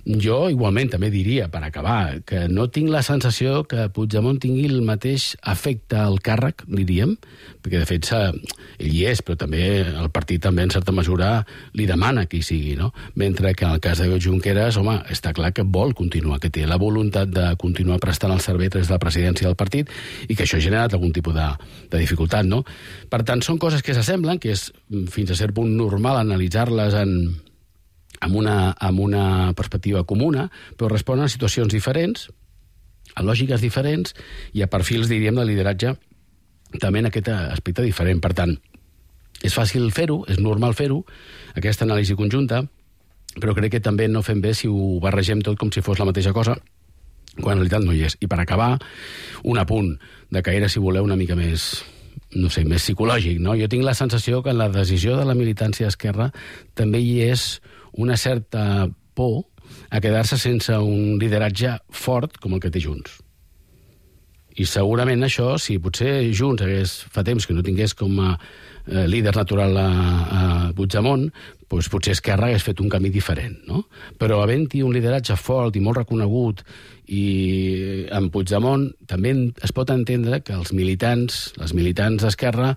Jo, igualment, també diria, per acabar, que no tinc la sensació que Puigdemont tingui el mateix efecte al càrrec, diríem, perquè, de fet, ell hi és, però també el partit també, en certa mesura, li demana que hi sigui, no? Mentre que en el cas de Junqueras, home, està clar que vol continuar, que té la voluntat de continuar prestant el servei des de la presidència del partit i que això ha generat algun tipus de, de dificultat, no? Per tant, són coses que s'assemblen, que és fins a cert punt normal analitzar-les en amb una, amb una perspectiva comuna, però responen a situacions diferents, a lògiques diferents i a perfils, diríem, de lideratge també en aquest aspecte diferent. Per tant, és fàcil fer-ho, és normal fer-ho, aquesta anàlisi conjunta, però crec que també no fem bé si ho barregem tot com si fos la mateixa cosa, quan en realitat no hi és. I per acabar, un apunt de caire, si voleu, una mica més, no sé, més psicològic, no? Jo tinc la sensació que en la decisió de la militància d'Esquerra també hi és una certa por a quedar-se sense un lideratge fort com el que té Junts. I segurament això, si potser Junts hagués, fa temps que no tingués com a eh, líder natural a, a Puigdemont, doncs potser Esquerra hagués fet un camí diferent, no? Però havent-hi un lideratge fort i molt reconegut i en Puigdemont també es pot entendre que els militants, les militants d'Esquerra,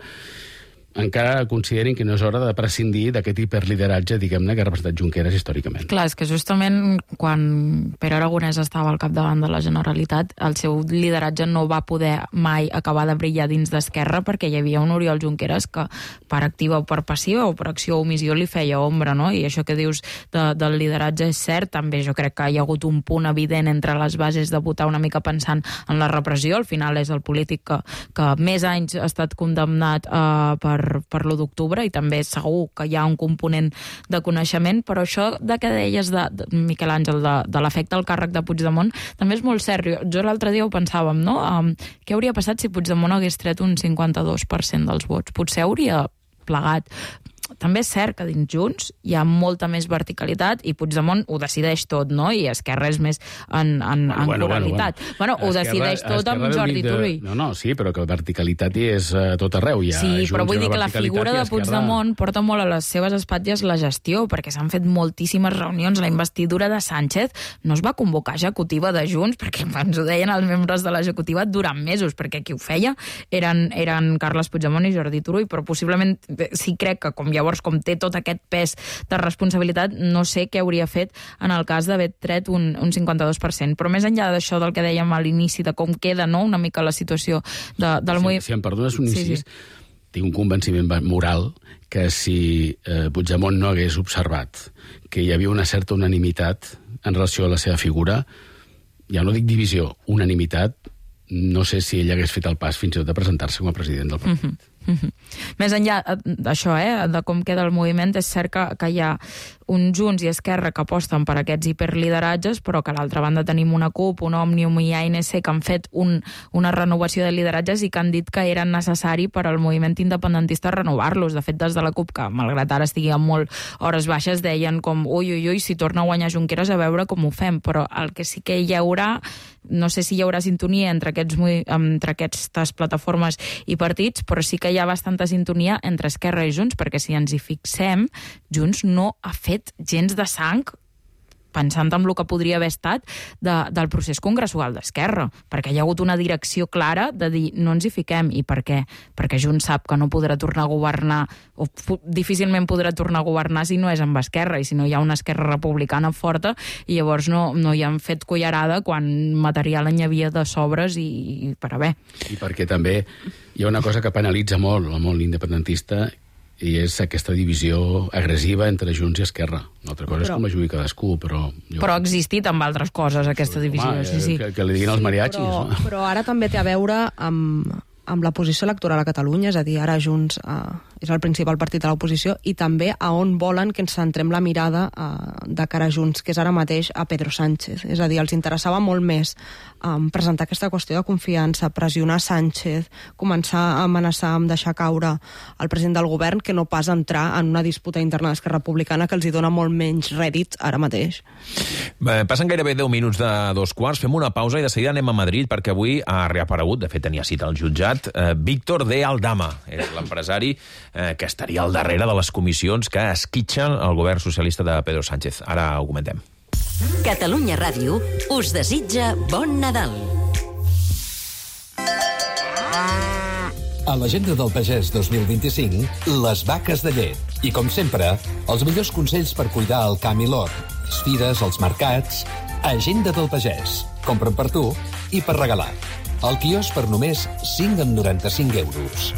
encara considerin que no és hora de prescindir d'aquest hiperlideratge, diguem-ne, que ha representat Junqueras històricament. Clar, és que justament quan Pere Aragonès estava al capdavant de la Generalitat, el seu lideratge no va poder mai acabar de brillar dins d'Esquerra perquè hi havia un Oriol Junqueras que per activa o per passiva o per acció o omissió li feia ombra, no? I això que dius de, del lideratge és cert, també jo crec que hi ha hagut un punt evident entre les bases de votar una mica pensant en la repressió, al final és el polític que, que més anys ha estat condemnat eh, per per l'u d'octubre i també segur que hi ha un component de coneixement, però això de que deies de, de Miquel Àngel, de, de l'efecte al càrrec de Puigdemont, també és molt cert. Jo l'altre dia ho pensàvem, no? Um, què hauria passat si Puigdemont hagués tret un cinquanta-dos per cent dels vots? Potser hauria plegat. També és cert que dins Junts hi ha molta més verticalitat i Puigdemont ho decideix tot, no? I Esquerra és més en, en, en bueno, pluralitat. Bueno, bueno. bueno ho Esquerra, decideix tot amb Jordi de... Turull. No, no, sí, però que verticalitat hi és a tot arreu. Hi ha sí, Junts, però vull dir que la i figura de Puigdemont porta molt a les seves espatlles la gestió, perquè s'han fet moltíssimes reunions. La investidura de Sánchez no es va convocar executiva de Junts, perquè ens ho deien els membres de l'executiva durant mesos, perquè qui ho feia eren, eren Carles Puigdemont i Jordi Turull, però possiblement sí crec que com llavors com té tot aquest pes de responsabilitat, no sé què hauria fet en el cas d'haver tret un, un cinquanta-dos per cent. Però més enllà d'això del que dèiem a l'inici, de com queda, no?, una mica la situació de, del si, moviment... Si em perdones un incís, sí, sí. Tinc un convenciment moral que si eh, Puigdemont no hagués observat que hi havia una certa unanimitat en relació a la seva figura, ja no dic divisió, unanimitat, no sé si ell hagués fet el pas fins i tot de presentar-se com a president del partit. Mm-hmm. Mm-hmm. Més enllà d'això, eh, de com queda el moviment, és cert que, que hi ha un Junts i Esquerra que aposten per aquests hiperlideratges, però que a l'altra banda tenim una CUP, un Òmnium i A N C que han fet un, una renovació de lideratges i que han dit que era necessari per al moviment independentista renovar-los. De fet, des de la CUP, que malgrat ara estigui amb molt hores baixes, deien com ui, ui, ui, si torna a guanyar Junqueras a veure com ho fem, però el que sí que hi haurà, no sé si hi haurà sintonia entre, aquests, entre aquestes plataformes i partits, però sí que hi ha bastanta sintonia entre Esquerra i Junts, perquè si ens hi fixem, Junts no ha fet gens de sang pensant en el que podria haver estat de, del procés congressual d'Esquerra, perquè hi ha hagut una direcció clara de dir no ens hi fiquem. I per què? Perquè Junts sap que no podrà tornar a governar, o difícilment podrà tornar a governar si no és amb Esquerra, i si no hi ha una Esquerra republicana forta, i llavors no, no hi han fet cullerada quan material n'hi havia de sobres i, i per haver. I perquè també hi ha una cosa que penalitza molt el món independentista, i és aquesta divisió agressiva entre Junts i Esquerra. Una altra cosa però, és com la jugui cadascú, però... Jo... Però ha existit amb altres coses, aquesta divisió. Home, sí, sí. Que, que li diguin els mariachis. Però, no? però ara també té a veure amb, amb la posició electoral a Catalunya, és a dir, ara Junts eh, és el principal partit de l'oposició, i també a on volen que ens centrem la mirada uh, de cara a Junts, que és ara mateix a Pedro Sánchez. És a dir, els interessava molt més um, presentar aquesta qüestió de confiança, pressionar Sánchez, començar a amenaçar amb deixar caure el president del govern, que no pas entrar en una disputa interna d'Esquerra Republicana que els hi dona molt menys rèdit ara mateix. Bé, passen gairebé deu minuts de dos quarts, fem una pausa i de seguida anem a Madrid, perquè avui ha reaparegut, de fet tenia cita al jutjat, eh, Víctor de Aldama, és l'empresari eh, que estaria al darrere de les comissions que esquitxen el govern socialista de Pedro Sánchez. Ara ho comentem. Catalunya Ràdio us desitja bon Nadal. A l'agenda del pagès dos mil vint-i-cinc, les vaques de llet. I, com sempre, els millors consells per cuidar el camp i l'hort, les fires, els mercats... Agenda del pagès. Compren per tu i per regalar. El quiosc per només cinc coma noranta-cinc euros.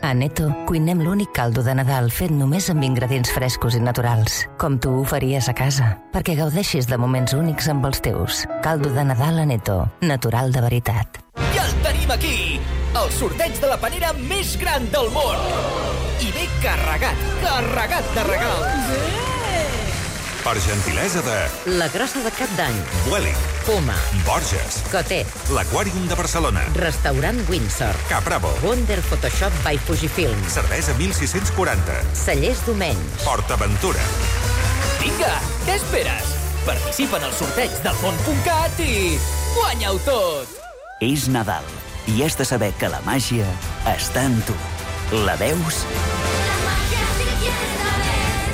A Neto cuinem l'únic caldo de Nadal fet només amb ingredients frescos i naturals, com tu ho faries a casa, perquè gaudeixis de moments únics amb els teus. Caldo de Nadal a Neto, natural de veritat. Ja el tenim aquí! El sorteig de la panera més gran del món! I ve carregat, carregat de regals! Per gentilesa de... La Grossa de Cap d'Any. Vueling. Puma. Borges. Cotet. L'Aquàrium de Barcelona. Restaurant Windsor. Capravo. Wonder Photoshop by Fujifilm. Cervesa mil sis-cents quaranta. Cellers Domenys. PortAventura. Vinga, què esperes? Participa en el sorteig del món punt cat i guanya-ho tot! És Nadal i has de saber que la màgia està en tu. La veus?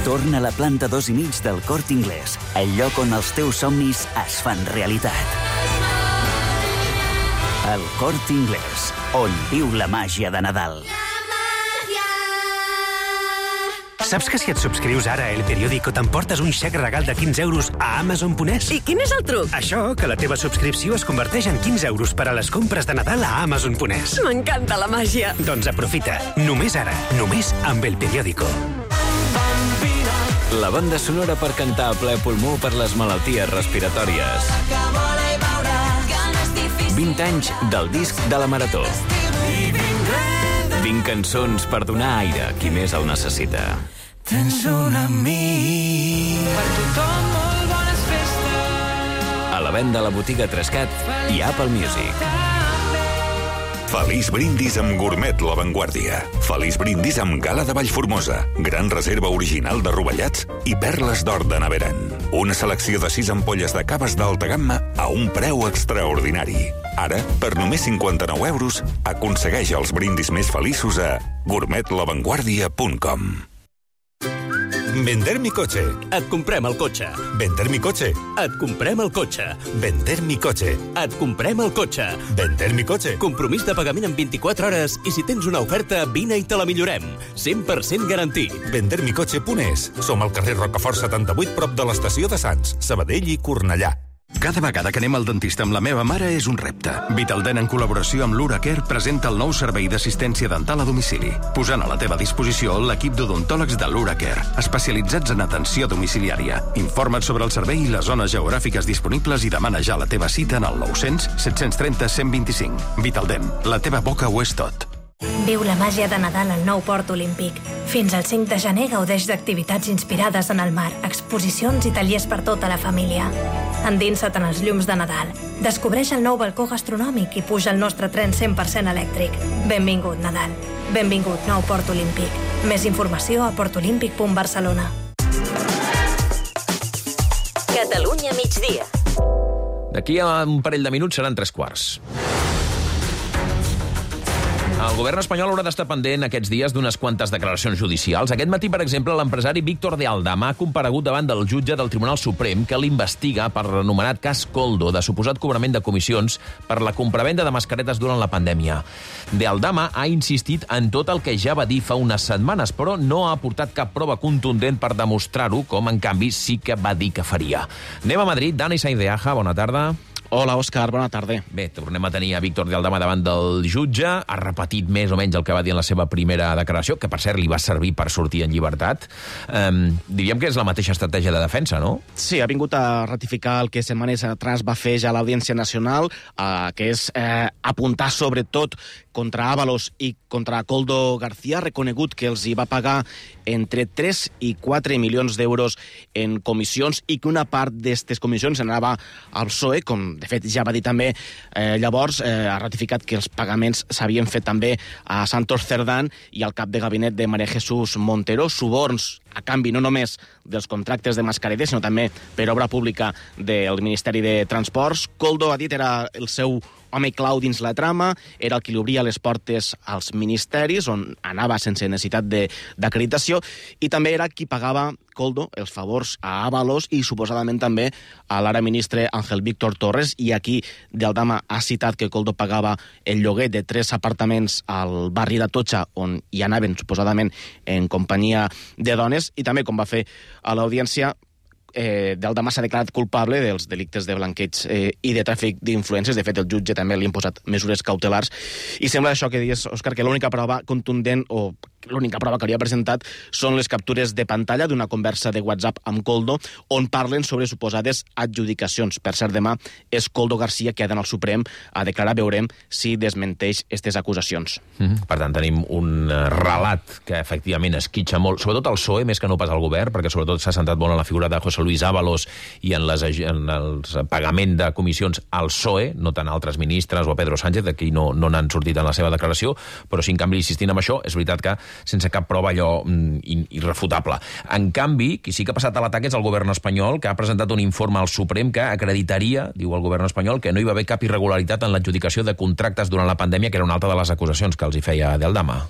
Torna a la planta dos i mig del Corte Inglés, el lloc on els teus somnis es fan realitat. El Corte Inglés, on viu la màgia de Nadal. Saps que si et subscrius ara a El Periódico t'emportes un xec regal de quinze euros a Amazon punt es? I quin és el truc? Això, que la teva subscripció es converteix en quinze euros per a les compres de Nadal a Amazon punt es. M'encanta la màgia. Doncs aprofita. Només ara. Només amb El Periódico. La banda sonora per cantar a ple pulmó per les malalties respiratòries. vint anys del disc de la Marató. vint cançons per donar aire a qui més el necessita. Tens un amic. Per tothom molt bones festes. A la venda a la botiga Trescat i Apple Music. Feliç brindis amb Gourmet La Vanguardia. Feliç brindis amb Gala de Vallformosa. Gran reserva original de rovellats i perles d'or de Naveran. Una selecció de sis ampolles de caves d'alta gamma a un preu extraordinari. Ara, per només cinquanta-nou euros, aconsegueix els brindis més feliços a gourmet la vanguardia punt com. Vender mi coche. Et comprem el cotxe. Vender mi coche. Et comprem el cotxe. Vender mi coche. Et comprem el cotxe. Vender mi coche. Compromís de pagament en vint-i-quatre hores i si tens una oferta, vine i te la millorem. cent per cent garantit. vender mi coche punt es. Som al carrer Rocafort setanta-vuit, prop de l'estació de Sants, Sabadell i Cornellà. Cada vegada que anem al dentista amb la meva mare és un repte. Vitaldent, en col·laboració amb l'Uracare, presenta el nou servei d'assistència dental a domicili, posant a la teva disposició l'equip d'odontòlegs de l'Uracare, especialitzats en atenció domiciliària. Informa't sobre el servei i les zones geogràfiques disponibles i demana ja la teva cita en el nou cents, set trenta, cent vint-i-cinc. Vitaldent, la teva boca ho és tot. Viu la màgia de Nadal al nou Port Olímpic. Fins al cinc de gener gaudeix d'activitats inspirades en el mar, exposicions i tallers per tota la família. Endinsa't en els llums de Nadal. Descobreix el nou balcó gastronòmic i puja al nostre tren cent per cent elèctric. Benvingut, Nadal. Benvingut, nou Port Olímpic. Més informació a portolímpic punt barcelona. Catalunya migdia. D'aquí a un parell de minuts seran tres quarts. El govern espanyol haurà d'estar pendent aquests dies d'unes quantes declaracions judicials. Aquest matí, per exemple, l'empresari Víctor de Aldama ha comparegut davant del jutge del Tribunal Suprem que l'investiga per l'anomenat cas Koldo, de suposat cobrament de comissions per la compravenda de mascaretes durant la pandèmia. De Aldama ha insistit en tot el que ja va dir fa unes setmanes, però no ha aportat cap prova contundent per demostrar-ho, com en canvi sí que va dir que faria. Anem a Madrid. Dani Saindeaja, bona tarda. Hola, Òscar, bona tarda. Bé, tornem a tenir a Víctor de Aldama davant del jutge. Ha repetit més o menys el que va dir en la seva primera declaració, que per cert li va servir per sortir en llibertat. Um, diríem que és la mateixa estratègia de defensa, no? Sí, ha vingut a ratificar el que setmanes atrás va fer ja l'Audiència Nacional, eh, que és eh, apuntar sobretot contra Ábalos i contra Koldo García, reconegut que els hi va pagar entre tres i quatre milions d'euros en comissions i que una part d'aquestes comissions anava al P S O E, com de fet ja va dir també eh, llavors, eh, ha ratificat que els pagaments s'havien fet també a Santos Cerdán i al cap de gabinet de María Jesús Montero, suborns a canvi no només dels contractes de mascaretes, sinó també per obra pública del Ministeri de Transports. Koldo, ha dit, era el seu home clau dins la trama, era el qui li obria les portes als ministeris, on anava sense necessitat d'acreditació, i també era qui pagava, Koldo, els favors a Ábalos i suposadament també a l'ara ministre Ángel Víctor Torres, i aquí de Aldama ha citat que Koldo pagava el lloguer de tres apartaments al barri d'Atocha, on hi anaven suposadament en companyia de dones, i també, com va fer a l'audiència, Eh, Aldama s'ha declarat culpable dels delictes de blanqueig eh, i de tràfic d'influències. De fet, el jutge també li ha imposat mesures cautelars. I sembla això que dius, Òscar, que l'única prova contundent o l'única prova que hauria presentat són les captures de pantalla d'una conversa de WhatsApp amb Koldo, on parlen sobre suposades adjudicacions. Per cert, demà és Koldo García que ha d'anar al Suprem a declarar. Veurem si desmenteix aquestes acusacions. Mm-hmm. Per tant, tenim un relat que efectivament esquitxa molt, sobretot al P S O E, més que no pas al govern, perquè sobretot s'ha centrat molt en la figura de José Luis Ábalos i en, les, en el pagament de comissions al P S O E, no tant a altres ministres o a Pedro Sánchez, d'aquí no, no n'han sortit en la seva declaració, però si en canvi insistint en això, és veritat que sense cap prova allò mm, irrefutable. En canvi, qui sí que ha passat a l'atac és el govern espanyol, que ha presentat un informe al Suprem que acreditaria, diu el govern espanyol, que no hi va haver cap irregularitat en l'adjudicació de contractes durant la pandèmia, que era una altra de les acusacions que els hi feia de Aldama.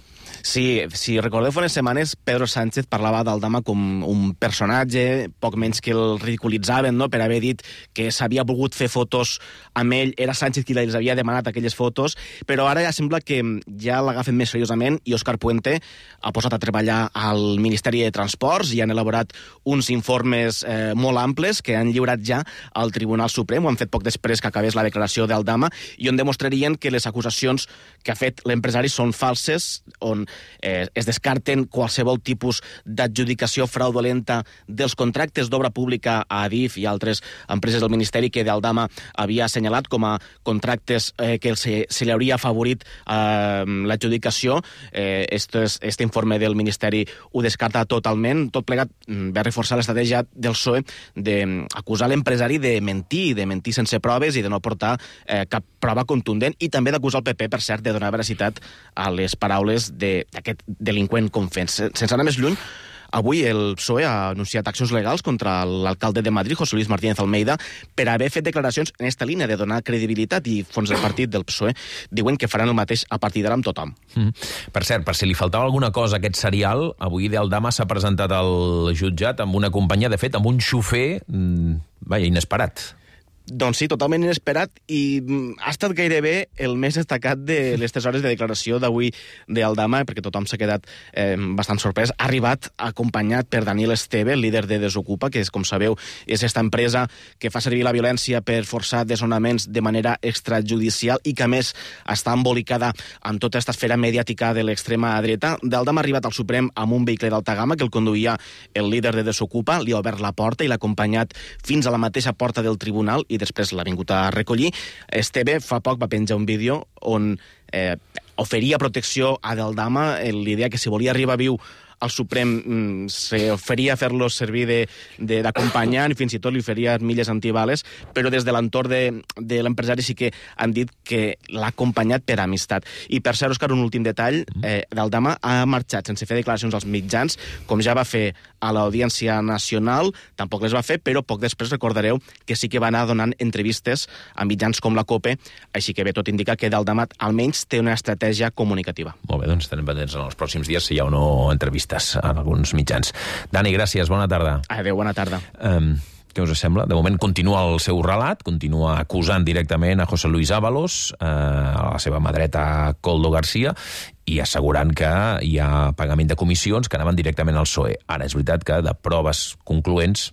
Sí, si recordeu fa unes setmanes, Pedro Sánchez parlava d'Aldama com un personatge, poc menys que el ridiculitzaven, no?, per haver dit que s'havia volgut fer fotos amb ell, era Sánchez qui els havia demanat aquelles fotos, però ara ja sembla que ja l'agafen més seriosament i Òscar Puente ha posat a treballar al Ministeri de Transports i han elaborat uns informes eh, molt amples que han lliurat ja al Tribunal Suprem, ho han fet poc després que acabés la declaració d'Aldama, i on demostrarien que les acusacions que ha fet l'empresari són falses, on Eh, es descarten qualsevol tipus d'adjudicació fraudulenta dels contractes d'obra pública a Adif i altres empreses del Ministeri que d'Aldama havia assenyalat com a contractes eh, que se, se li hauria afavorit eh, l'adjudicació. Eh, este, este informe del Ministeri ho descarta totalment. Tot plegat va reforçar l'estratègia del P S O E d'acusar l'empresari de mentir, de mentir sense proves i de no portar eh, cap prova contundent, i també d'acusar el P P, per cert, de donar veracitat a les paraules de d'aquest delinqüent confés. Sense anar més lluny, avui el P S O E ha anunciat accions legals contra l'alcalde de Madrid, José Luis Martínez Almeida, per haver fet declaracions en esta línia de donar credibilitat i fons del partit del P S O E. Diuen que faran el mateix a partir d'ara amb tothom. Mm. Per cert, per si li faltava alguna cosa a aquest serial, avui de Aldama s'ha presentat al jutjat amb una companyia, de fet, amb un xofer, mmm, vaja, inesperat. Doncs sí, totalment inesperat, i ha estat gairebé el més destacat de les tres hores de declaració d'avui d'Aldama, perquè tothom s'ha quedat eh, bastant sorprès. Ha arribat acompanyat per Daniel Esteve, el líder de Desocupa, que, és, com sabeu, és esta empresa que fa servir la violència per forçar desnonaments de manera extrajudicial i que, a més, està embolicada amb tota aquesta esfera mediàtica de l'extrema dreta. D'Aldama ha arribat al Suprem amb un vehicle d'alta gamma que el conduïa el líder de Desocupa, li ha obert la porta i l'ha acompanyat fins a la mateixa porta del tribunal i després l'ha vingut a recollir. Esteve fa poc va penjar un vídeo on eh, oferia protecció a D'Aldama, l'idea que si volia arribar viu al Suprem s'oferia a fer-lo servir d'acompanyant i fins i tot li oferia milles antibales, però des de l'entorn de, de l'empresari sí que han dit que l'ha acompanyat per amistat. I per cert, Òscar, un últim detall, eh, D'Aldama ha marxat sense fer declaracions als mitjans, com ja va fer a l'Audiència Nacional, tampoc les va fer, però poc després recordareu que sí que va anar donant entrevistes a mitjans com la COPE, així que bé, tot indica que D'Aldama almenys té una estratègia comunicativa. Molt bé, doncs estarem pendents en els pròxims dies si hi ha o no entrevistes en alguns mitjans. Dani, gràcies, bona tarda. Adéu, bona tarda. Um, què us sembla? De moment continua el seu relat, continua acusant directament a José Luis Ábalos, eh, a la seva mà dreta Koldo García, i assegurant que hi ha pagament de comissions que anaven directament al P S O E. Ara, és veritat que de proves concloents,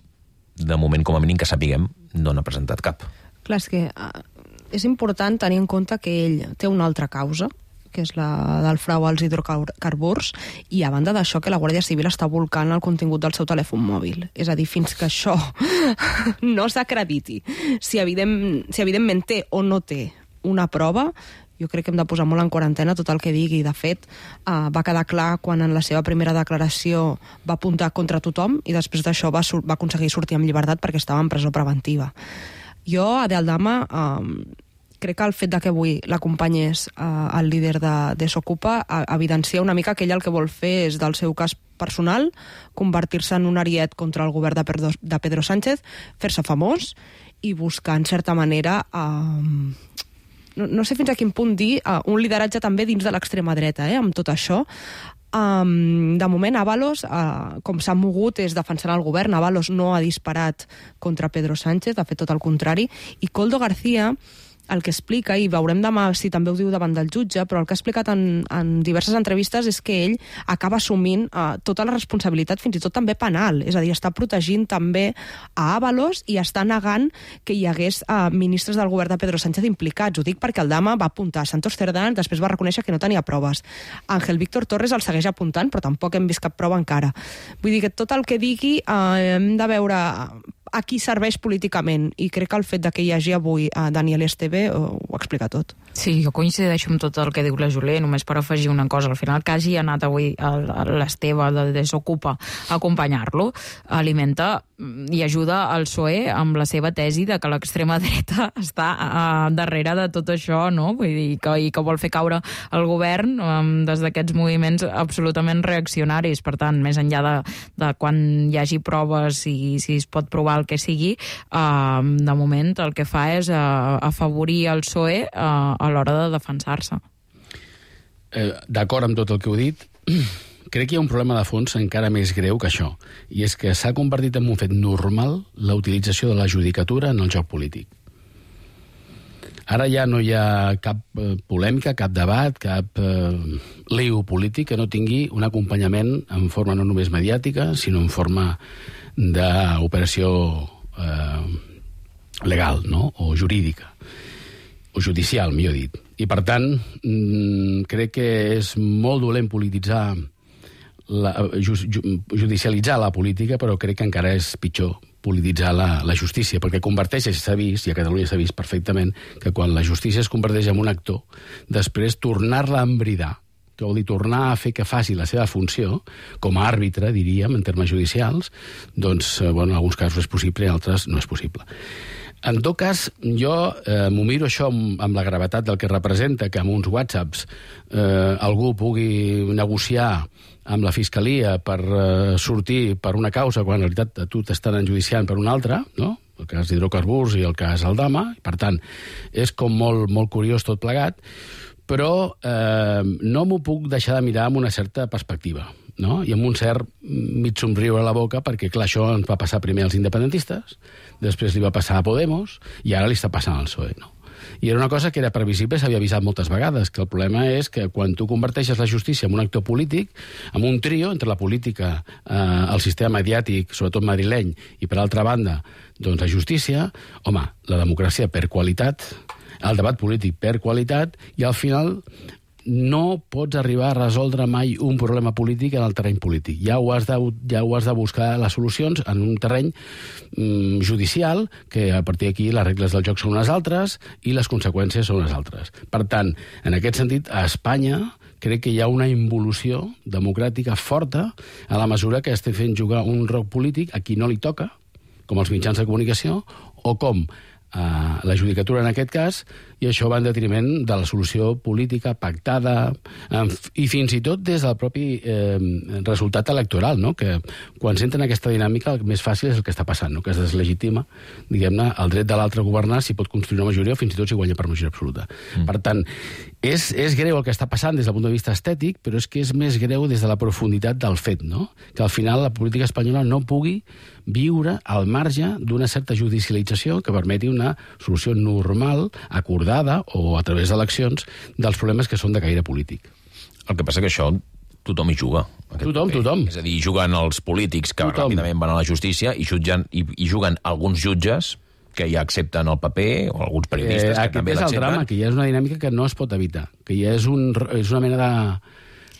de moment, com a mínim que sapiguem, no n'ha presentat cap. Clar, és que uh, és important tenir en compte que ell té una altra causa, que és la del frau als hidrocarburs, i a banda d'això que la Guàrdia Civil està volcant el contingut del seu telèfon mòbil. És a dir, fins que això no s'acrediti, si, evident, si evidentment té o no té una prova, jo crec que hem de posar molt en quarantena tot el que digui. De fet, uh, va quedar clar quan en la seva primera declaració va apuntar contra tothom i després d'això va, va aconseguir sortir amb llibertat perquè estava en presó preventiva. Jo, Adel Dama, uh, crec que el fet de que avui l'acompanyés eh, el líder de Desokupa evidencia una mica que ell el que vol fer és del seu cas personal, convertir-se en un ariet contra el govern de Pedro, de Pedro Sánchez, fer-se famós i buscar, en certa manera, eh, no, no sé fins a quin punt dir, eh, un lideratge també dins de l'extrema dreta, eh, amb tot això. Um, de moment, Ábalos, uh, com s'ha mogut, és defensant el govern. Ábalos no ha disparat contra Pedro Sánchez, ha fet tot el contrari. I Koldo García, el que explica, i veurem demà si també ho diu davant del jutge, però el que ha explicat en, en diverses entrevistes és que ell acaba assumint uh, tota la responsabilitat, fins i tot també penal. És a dir, està protegint també a Ábalos i està negant que hi hagués uh, ministres del govern de Pedro Sánchez implicats. Ho dic perquè el Dama va apuntar a Santos Cerdán, després va reconèixer que no tenia proves. Ángel Víctor Torres el segueix apuntant, però tampoc hem vist cap prova encara. Vull dir que tot el que digui uh, hem de veure a qui serveix políticament, i crec que el fet de que hi hagi avui a Daniel Esteve ho, ho explica tot. Sí, jo coincideixo amb tot el que diu la Jolé, només per afegir una cosa. Al final, que hagi anat avui l'Esteve de Desokupa a acompanyar-lo, alimenta i ajuda al P S O E amb la seva tesi de que l'extrema dreta està uh, darrere de tot això, no? Vull dir, que, i que vol fer caure el govern um, des d'aquests moviments absolutament reaccionaris. Per tant, més enllà de, de quan hi hagi proves i si es pot provar el que sigui, uh, de moment el que fa és uh, afavorir el P S O E uh, a l'hora de defensar-se. Eh, D'acord amb tot el que heu dit, crec que hi ha un problema de fons encara més greu que això, i és que s'ha convertit en un fet normal la utilització de la judicatura en el joc polític. Ara ja no hi ha cap eh, polèmica, cap debat, cap eh, lío polític que no tingui un acompanyament en forma no només mediàtica, sinó en forma d'operació eh, legal, no? O jurídica, o judicial, millor dit. I, per tant, mm, crec que és molt dolent polititzar, la, ju, ju, judicialitzar la política, però crec que encara és pitjor polititzar la, la justícia, perquè converteix, s'ha vist, i a Catalunya s'ha vist perfectament, que quan la justícia es converteix en un actor, després tornar-la a embridar, que vol dir tornar a fer que faci la seva funció, com a àrbitre, diríem, en termes judicials, doncs, bueno, en alguns casos és possible, en altres no és possible. En tot cas, jo eh, m'ho miro això amb, amb la gravetat del que representa, que amb uns whatsapps eh, algú pugui negociar amb la Fiscalia per eh, sortir per una causa, quan en realitat a tu t'estan enjudiciant per una altra, no? El cas d'hidrocarburs i el cas Aldama. Per tant, és com molt, molt curiós tot plegat, però eh, no m'ho puc deixar de mirar amb una certa perspectiva, no? I amb un cert mig somriure a la boca, perquè, clar, això ens va passar primer als independentistes, després li va passar a Podemos, i ara li està passant al P S O E, no? I era una cosa que era previsible, s'havia avisat moltes vegades, que el problema és que quan tu converteixes la justícia en un actor polític, en un trio entre la política, eh, el sistema mediàtic, sobretot madrileny, i per altra banda, doncs la justícia, home, la democràcia per qualitat, el debat polític per qualitat, i al final no pots arribar a resoldre mai un problema polític en el terreny polític. Ja ho has de, ja ho has de buscar les solucions en un terreny mm, judicial, que a partir d'aquí les regles del joc són unes altres i les conseqüències són unes altres. Per tant, en aquest sentit, a Espanya crec que hi ha una involució democràtica forta a la mesura que estem fent jugar un rol polític a qui no li toca, com els mitjans de comunicació, o com a la judicatura en aquest cas, i això va en detriment de la solució política pactada, i fins i tot des del propi eh, resultat electoral, no? Que quan s'entra en aquesta dinàmica el més fàcil és el que està passant, no? Que es deslegitima, diguem-ne, el dret de l'altre a governar si pot construir una majoria o fins i tot si guanya per majoria absoluta. Mm. Per tant, és, és greu el que està passant des del punt de vista estètic, però és que és més greu des de la profunditat del fet, no? Que al final la política espanyola no pugui viure al marge d'una certa judicialització que permeti una solució normal, acordada o a través d'eleccions dels problemes que són de caire polític. El que passa que això tothom hi juga. Tothom, paper. tothom. És a dir, juguen els polítics que tothom. Ràpidament van a la justícia i, jutgen, i, i juguen alguns jutges que ja accepten el paper, o alguns periodistes eh, que també l'accepten. Aquest és el l'accepten. drama, que ja és una dinàmica que no es pot evitar, que ja és, un, és una mena de...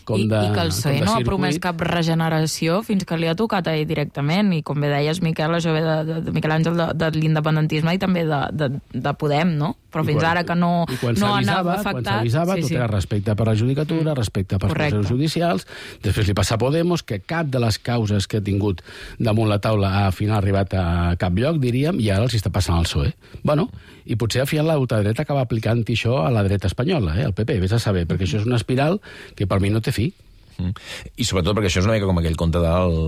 Com I, de, I que el P S O E no ha circuit. promès cap regeneració fins que li ha tocat a ell directament. I com bé deies, Miquel, això ve de, de, de Miquel Àngel, de, de l'independentisme i també de, de, de Podem, no? Però I fins quan, ara que no, i quan no anava s'avisava, afectat... Quan s'avisava, sí, tot sí. era respecte per la judicatura, mm. respecte per Correcte. processos judicials. Després li passa a Podemos, que cap de les causes que ha tingut damunt la taula ha al final arribat a cap lloc, diríem, i ara els està passant al P S O E. Bueno, i potser al final l'ultradreta acaba aplicant això a la dreta espanyola, eh, al P P, vés a saber, perquè això és una espiral que per mi no té fi. Mm. I sobretot perquè això és una mica com aquell conte del,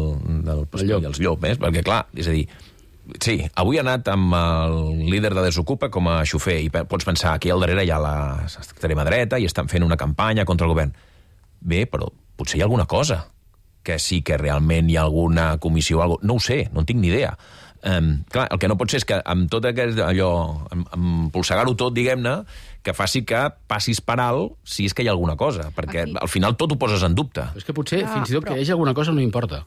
del el llop. Els llop, eh? Perquè clar, és a dir, sí, avui ha anat amb el líder de Desocupa com a xofer i pots pensar que al darrere hi ha l'extrema dreta i estan fent una campanya contra el govern. Bé, però potser hi ha alguna cosa que sí que realment hi ha alguna comissió o alguna cosa. No ho sé, no en tinc ni idea. Um, clar, el que no pot ser és que amb tot aquest allò, amb, amb polsegar-ho tot, diguem-ne, que faci que passis per alt si és que hi ha alguna cosa, perquè Aquí. al final tot ho poses en dubte. És que potser Ah, fins i tot però- que hi hagi alguna cosa no importa.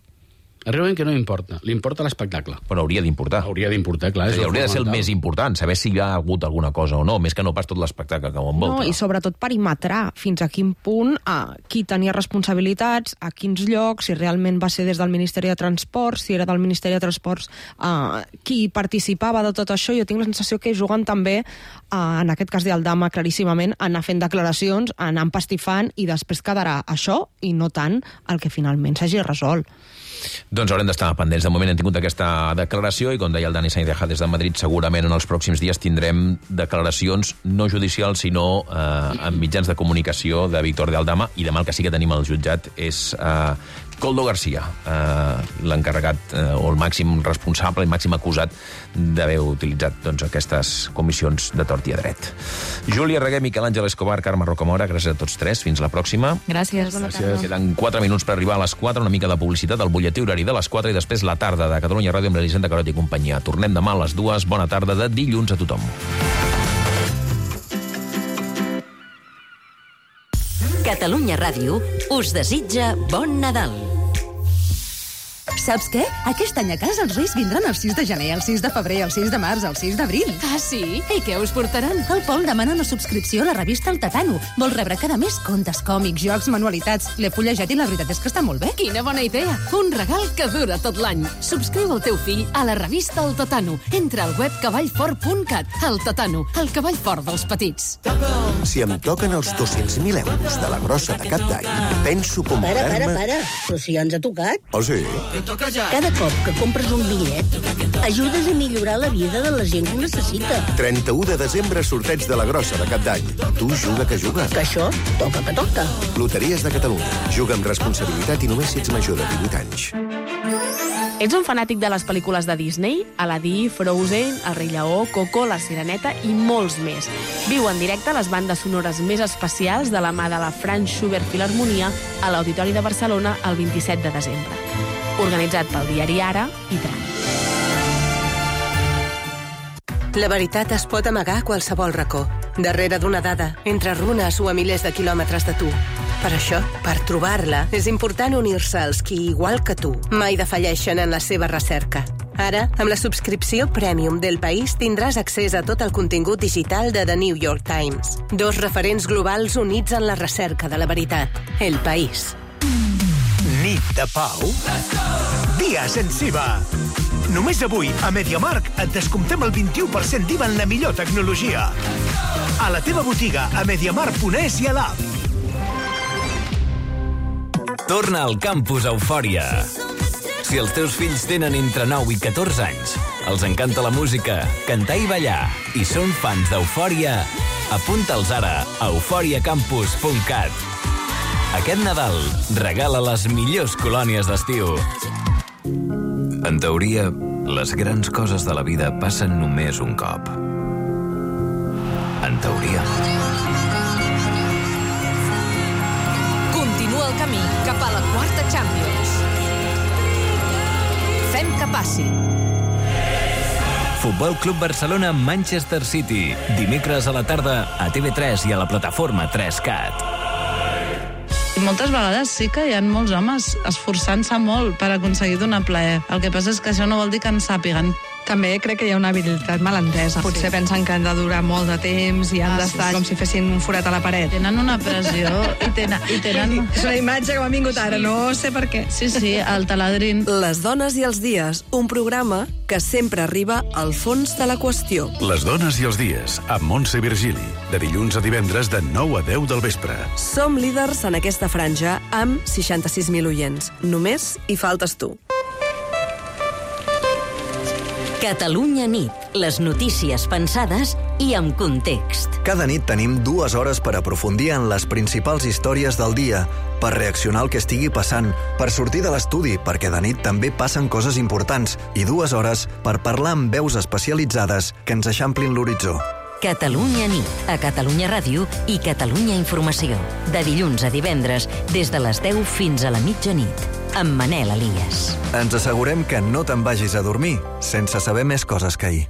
Realment que no importa. Li importa l'espectacle. Però hauria d'importar. Hauria d'importar, clar. És és dir, hauria de ser el fonamental. més important, saber si hi ha hagut alguna cosa o no, més que no pas tot l'espectacle que ho envolta. No, i sobretot perimetrar fins a quin punt a qui tenia responsabilitats, a quins llocs, si realment va ser des del Ministeri de Transports, si era del Ministeri de Transports uh, qui participava de tot això. Jo tinc la sensació que juguen també, uh, en aquest cas d'Aldama, claríssimament, anar fent declaracions, anar empastifant, i després quedarà això i no tant el que finalment s'hagi resolt. Doncs haurem d'estar pendents. De moment hem tingut aquesta declaració i, com deia el Dani Sainz des de Madrid, segurament en els pròxims dies tindrem declaracions no judicials, sinó eh, en mitjans de comunicació de Víctor de Aldama, i demà el que sí que tenim al jutjat és eh, Koldo García, eh, l'encarregat eh, o el màxim responsable i màxim acusat d'haver utilitzat doncs, aquestes comissions de tort i a dret. Júlia Reguer, Miquel Àngel Escobar, Carme Rocamora, gràcies a tots tres. Fins la pròxima. Gràcies. Gràcies. Queden quatre minuts per arribar a les quatre, una mica de publicitat, el butlletí horari de les quatre i després la tarda de Catalunya Ràdio amb l'Elisenda Carot i companyia. Tornem demà a les dues. Bona tarda de dilluns a tothom. Catalunya Ràdio us desitja bon Nadal. Saps què? Aquest any a casa els Reis vindran el sis de gener, el sis de febrer, el sis de març, el sis d'abril. Ah, sí? I què us portaran? El Pol demana una subscripció a la revista El Tatano. Vol rebre cada mes contes, còmics, jocs, manualitats. L'he fullejat i la veritat és que està molt bé. Quina bona idea! Un regal que dura tot l'any. Subscriu el teu fill a la revista El Tatano. Entra al web cavallfort punt cat. El Tatano, el cavall fort dels petits. Si em toquen els dos-cents mil euros de la grossa de cap d'any, penso Para, comprar-me... para, para. Però si ja ens ha tocat. Oh, sí? Cada cop que compres un bitllet, ajudes a millorar la vida de la gent que ho necessita. trenta-u de desembre, sorteig de la grossa de cap d'any. Tu juga que juga. Que això toca que toca. Loteries de Catalunya. Juga amb responsabilitat i només si ets major de divuit anys. Ets un fanàtic de les pel·lícules de Disney? Aladdin, Frozen, El rei Lleó, Coco, La Sireneta i molts més. Viu en directe les bandes sonores més especials de la mà de la Franz Schubert Filharmonia a l'Auditori de Barcelona el vint-i-set de desembre. Organitzat pel diari Ara i Tran. La veritat es pot amagar a qualsevol racó, darrere d'una dada, entre runes o a milers de quilòmetres de tu. Per això, per trobar-la, és important unir-se als qui, igual que tu, mai defalleixen en la seva recerca. Ara, amb la subscripció Premium del País, tindràs accés a tot el contingut digital de The New York Times. Dos referents globals units en la recerca de la veritat. El País. Nit de pau? Dia sense I V A. Només avui, a MediaMarkt, et descomptem el vint-i-u per cent d'I V A en la millor tecnologia. A la teva botiga, a mediamarkt punt es i a l'app. Torna al Campus Eufòria. Si els teus fills tenen entre nou i catorze anys, els encanta la música, cantar i ballar, i són fans d'Eufòria, apunta'ls ara a eufòria campus punt cat. Aquest Nadal, regala les millors colònies d'estiu. En teoria, les grans coses de la vida passen només un cop. En teoria. Continua el camí cap a la quarta Champions. Fem que passi. Futbol Club Barcelona Manchester City. Dimecres a la tarda a T V tres i a la plataforma tres cat. Moltes vegades sí que hi ha molts homes esforçant-se molt per aconseguir donar plaer. El que passa és que això no vol dir que en sàpiguen També crec que hi ha una habilitat malentesa. Potser pensen que han de durar molt de temps i han Ah, d'estar sí. com si fessin un forat a la paret. Tenen una pressió i tenen... I tenen... És una imatge que m'ha vingut ara, Sí. no sé per què. Sí, sí, el taladrin. Les dones i els dies, un programa que sempre arriba al fons de la qüestió. Les dones i els dies, amb Montse Virgili, de dilluns a divendres de nou a deu del vespre. Som líders en aquesta franja amb seixanta-sis mil oients. Només hi faltes tu. Catalunya nit. Les notícies pensades i amb context. Cada nit tenim dues hores per aprofundir en les principals històries del dia, per reaccionar al que estigui passant, per sortir de l'estudi, perquè de nit també passen coses importants, i dues hores per parlar amb veus especialitzades que ens eixamplin l'horitzó. Catalunya nit, a Catalunya Ràdio i Catalunya Informació. De dilluns a divendres, des de les deu fins a la mitjanit, amb Manel Elias. Ens assegurem que no te'n vagis a dormir sense saber més coses que ahir.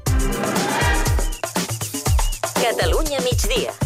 Catalunya migdia.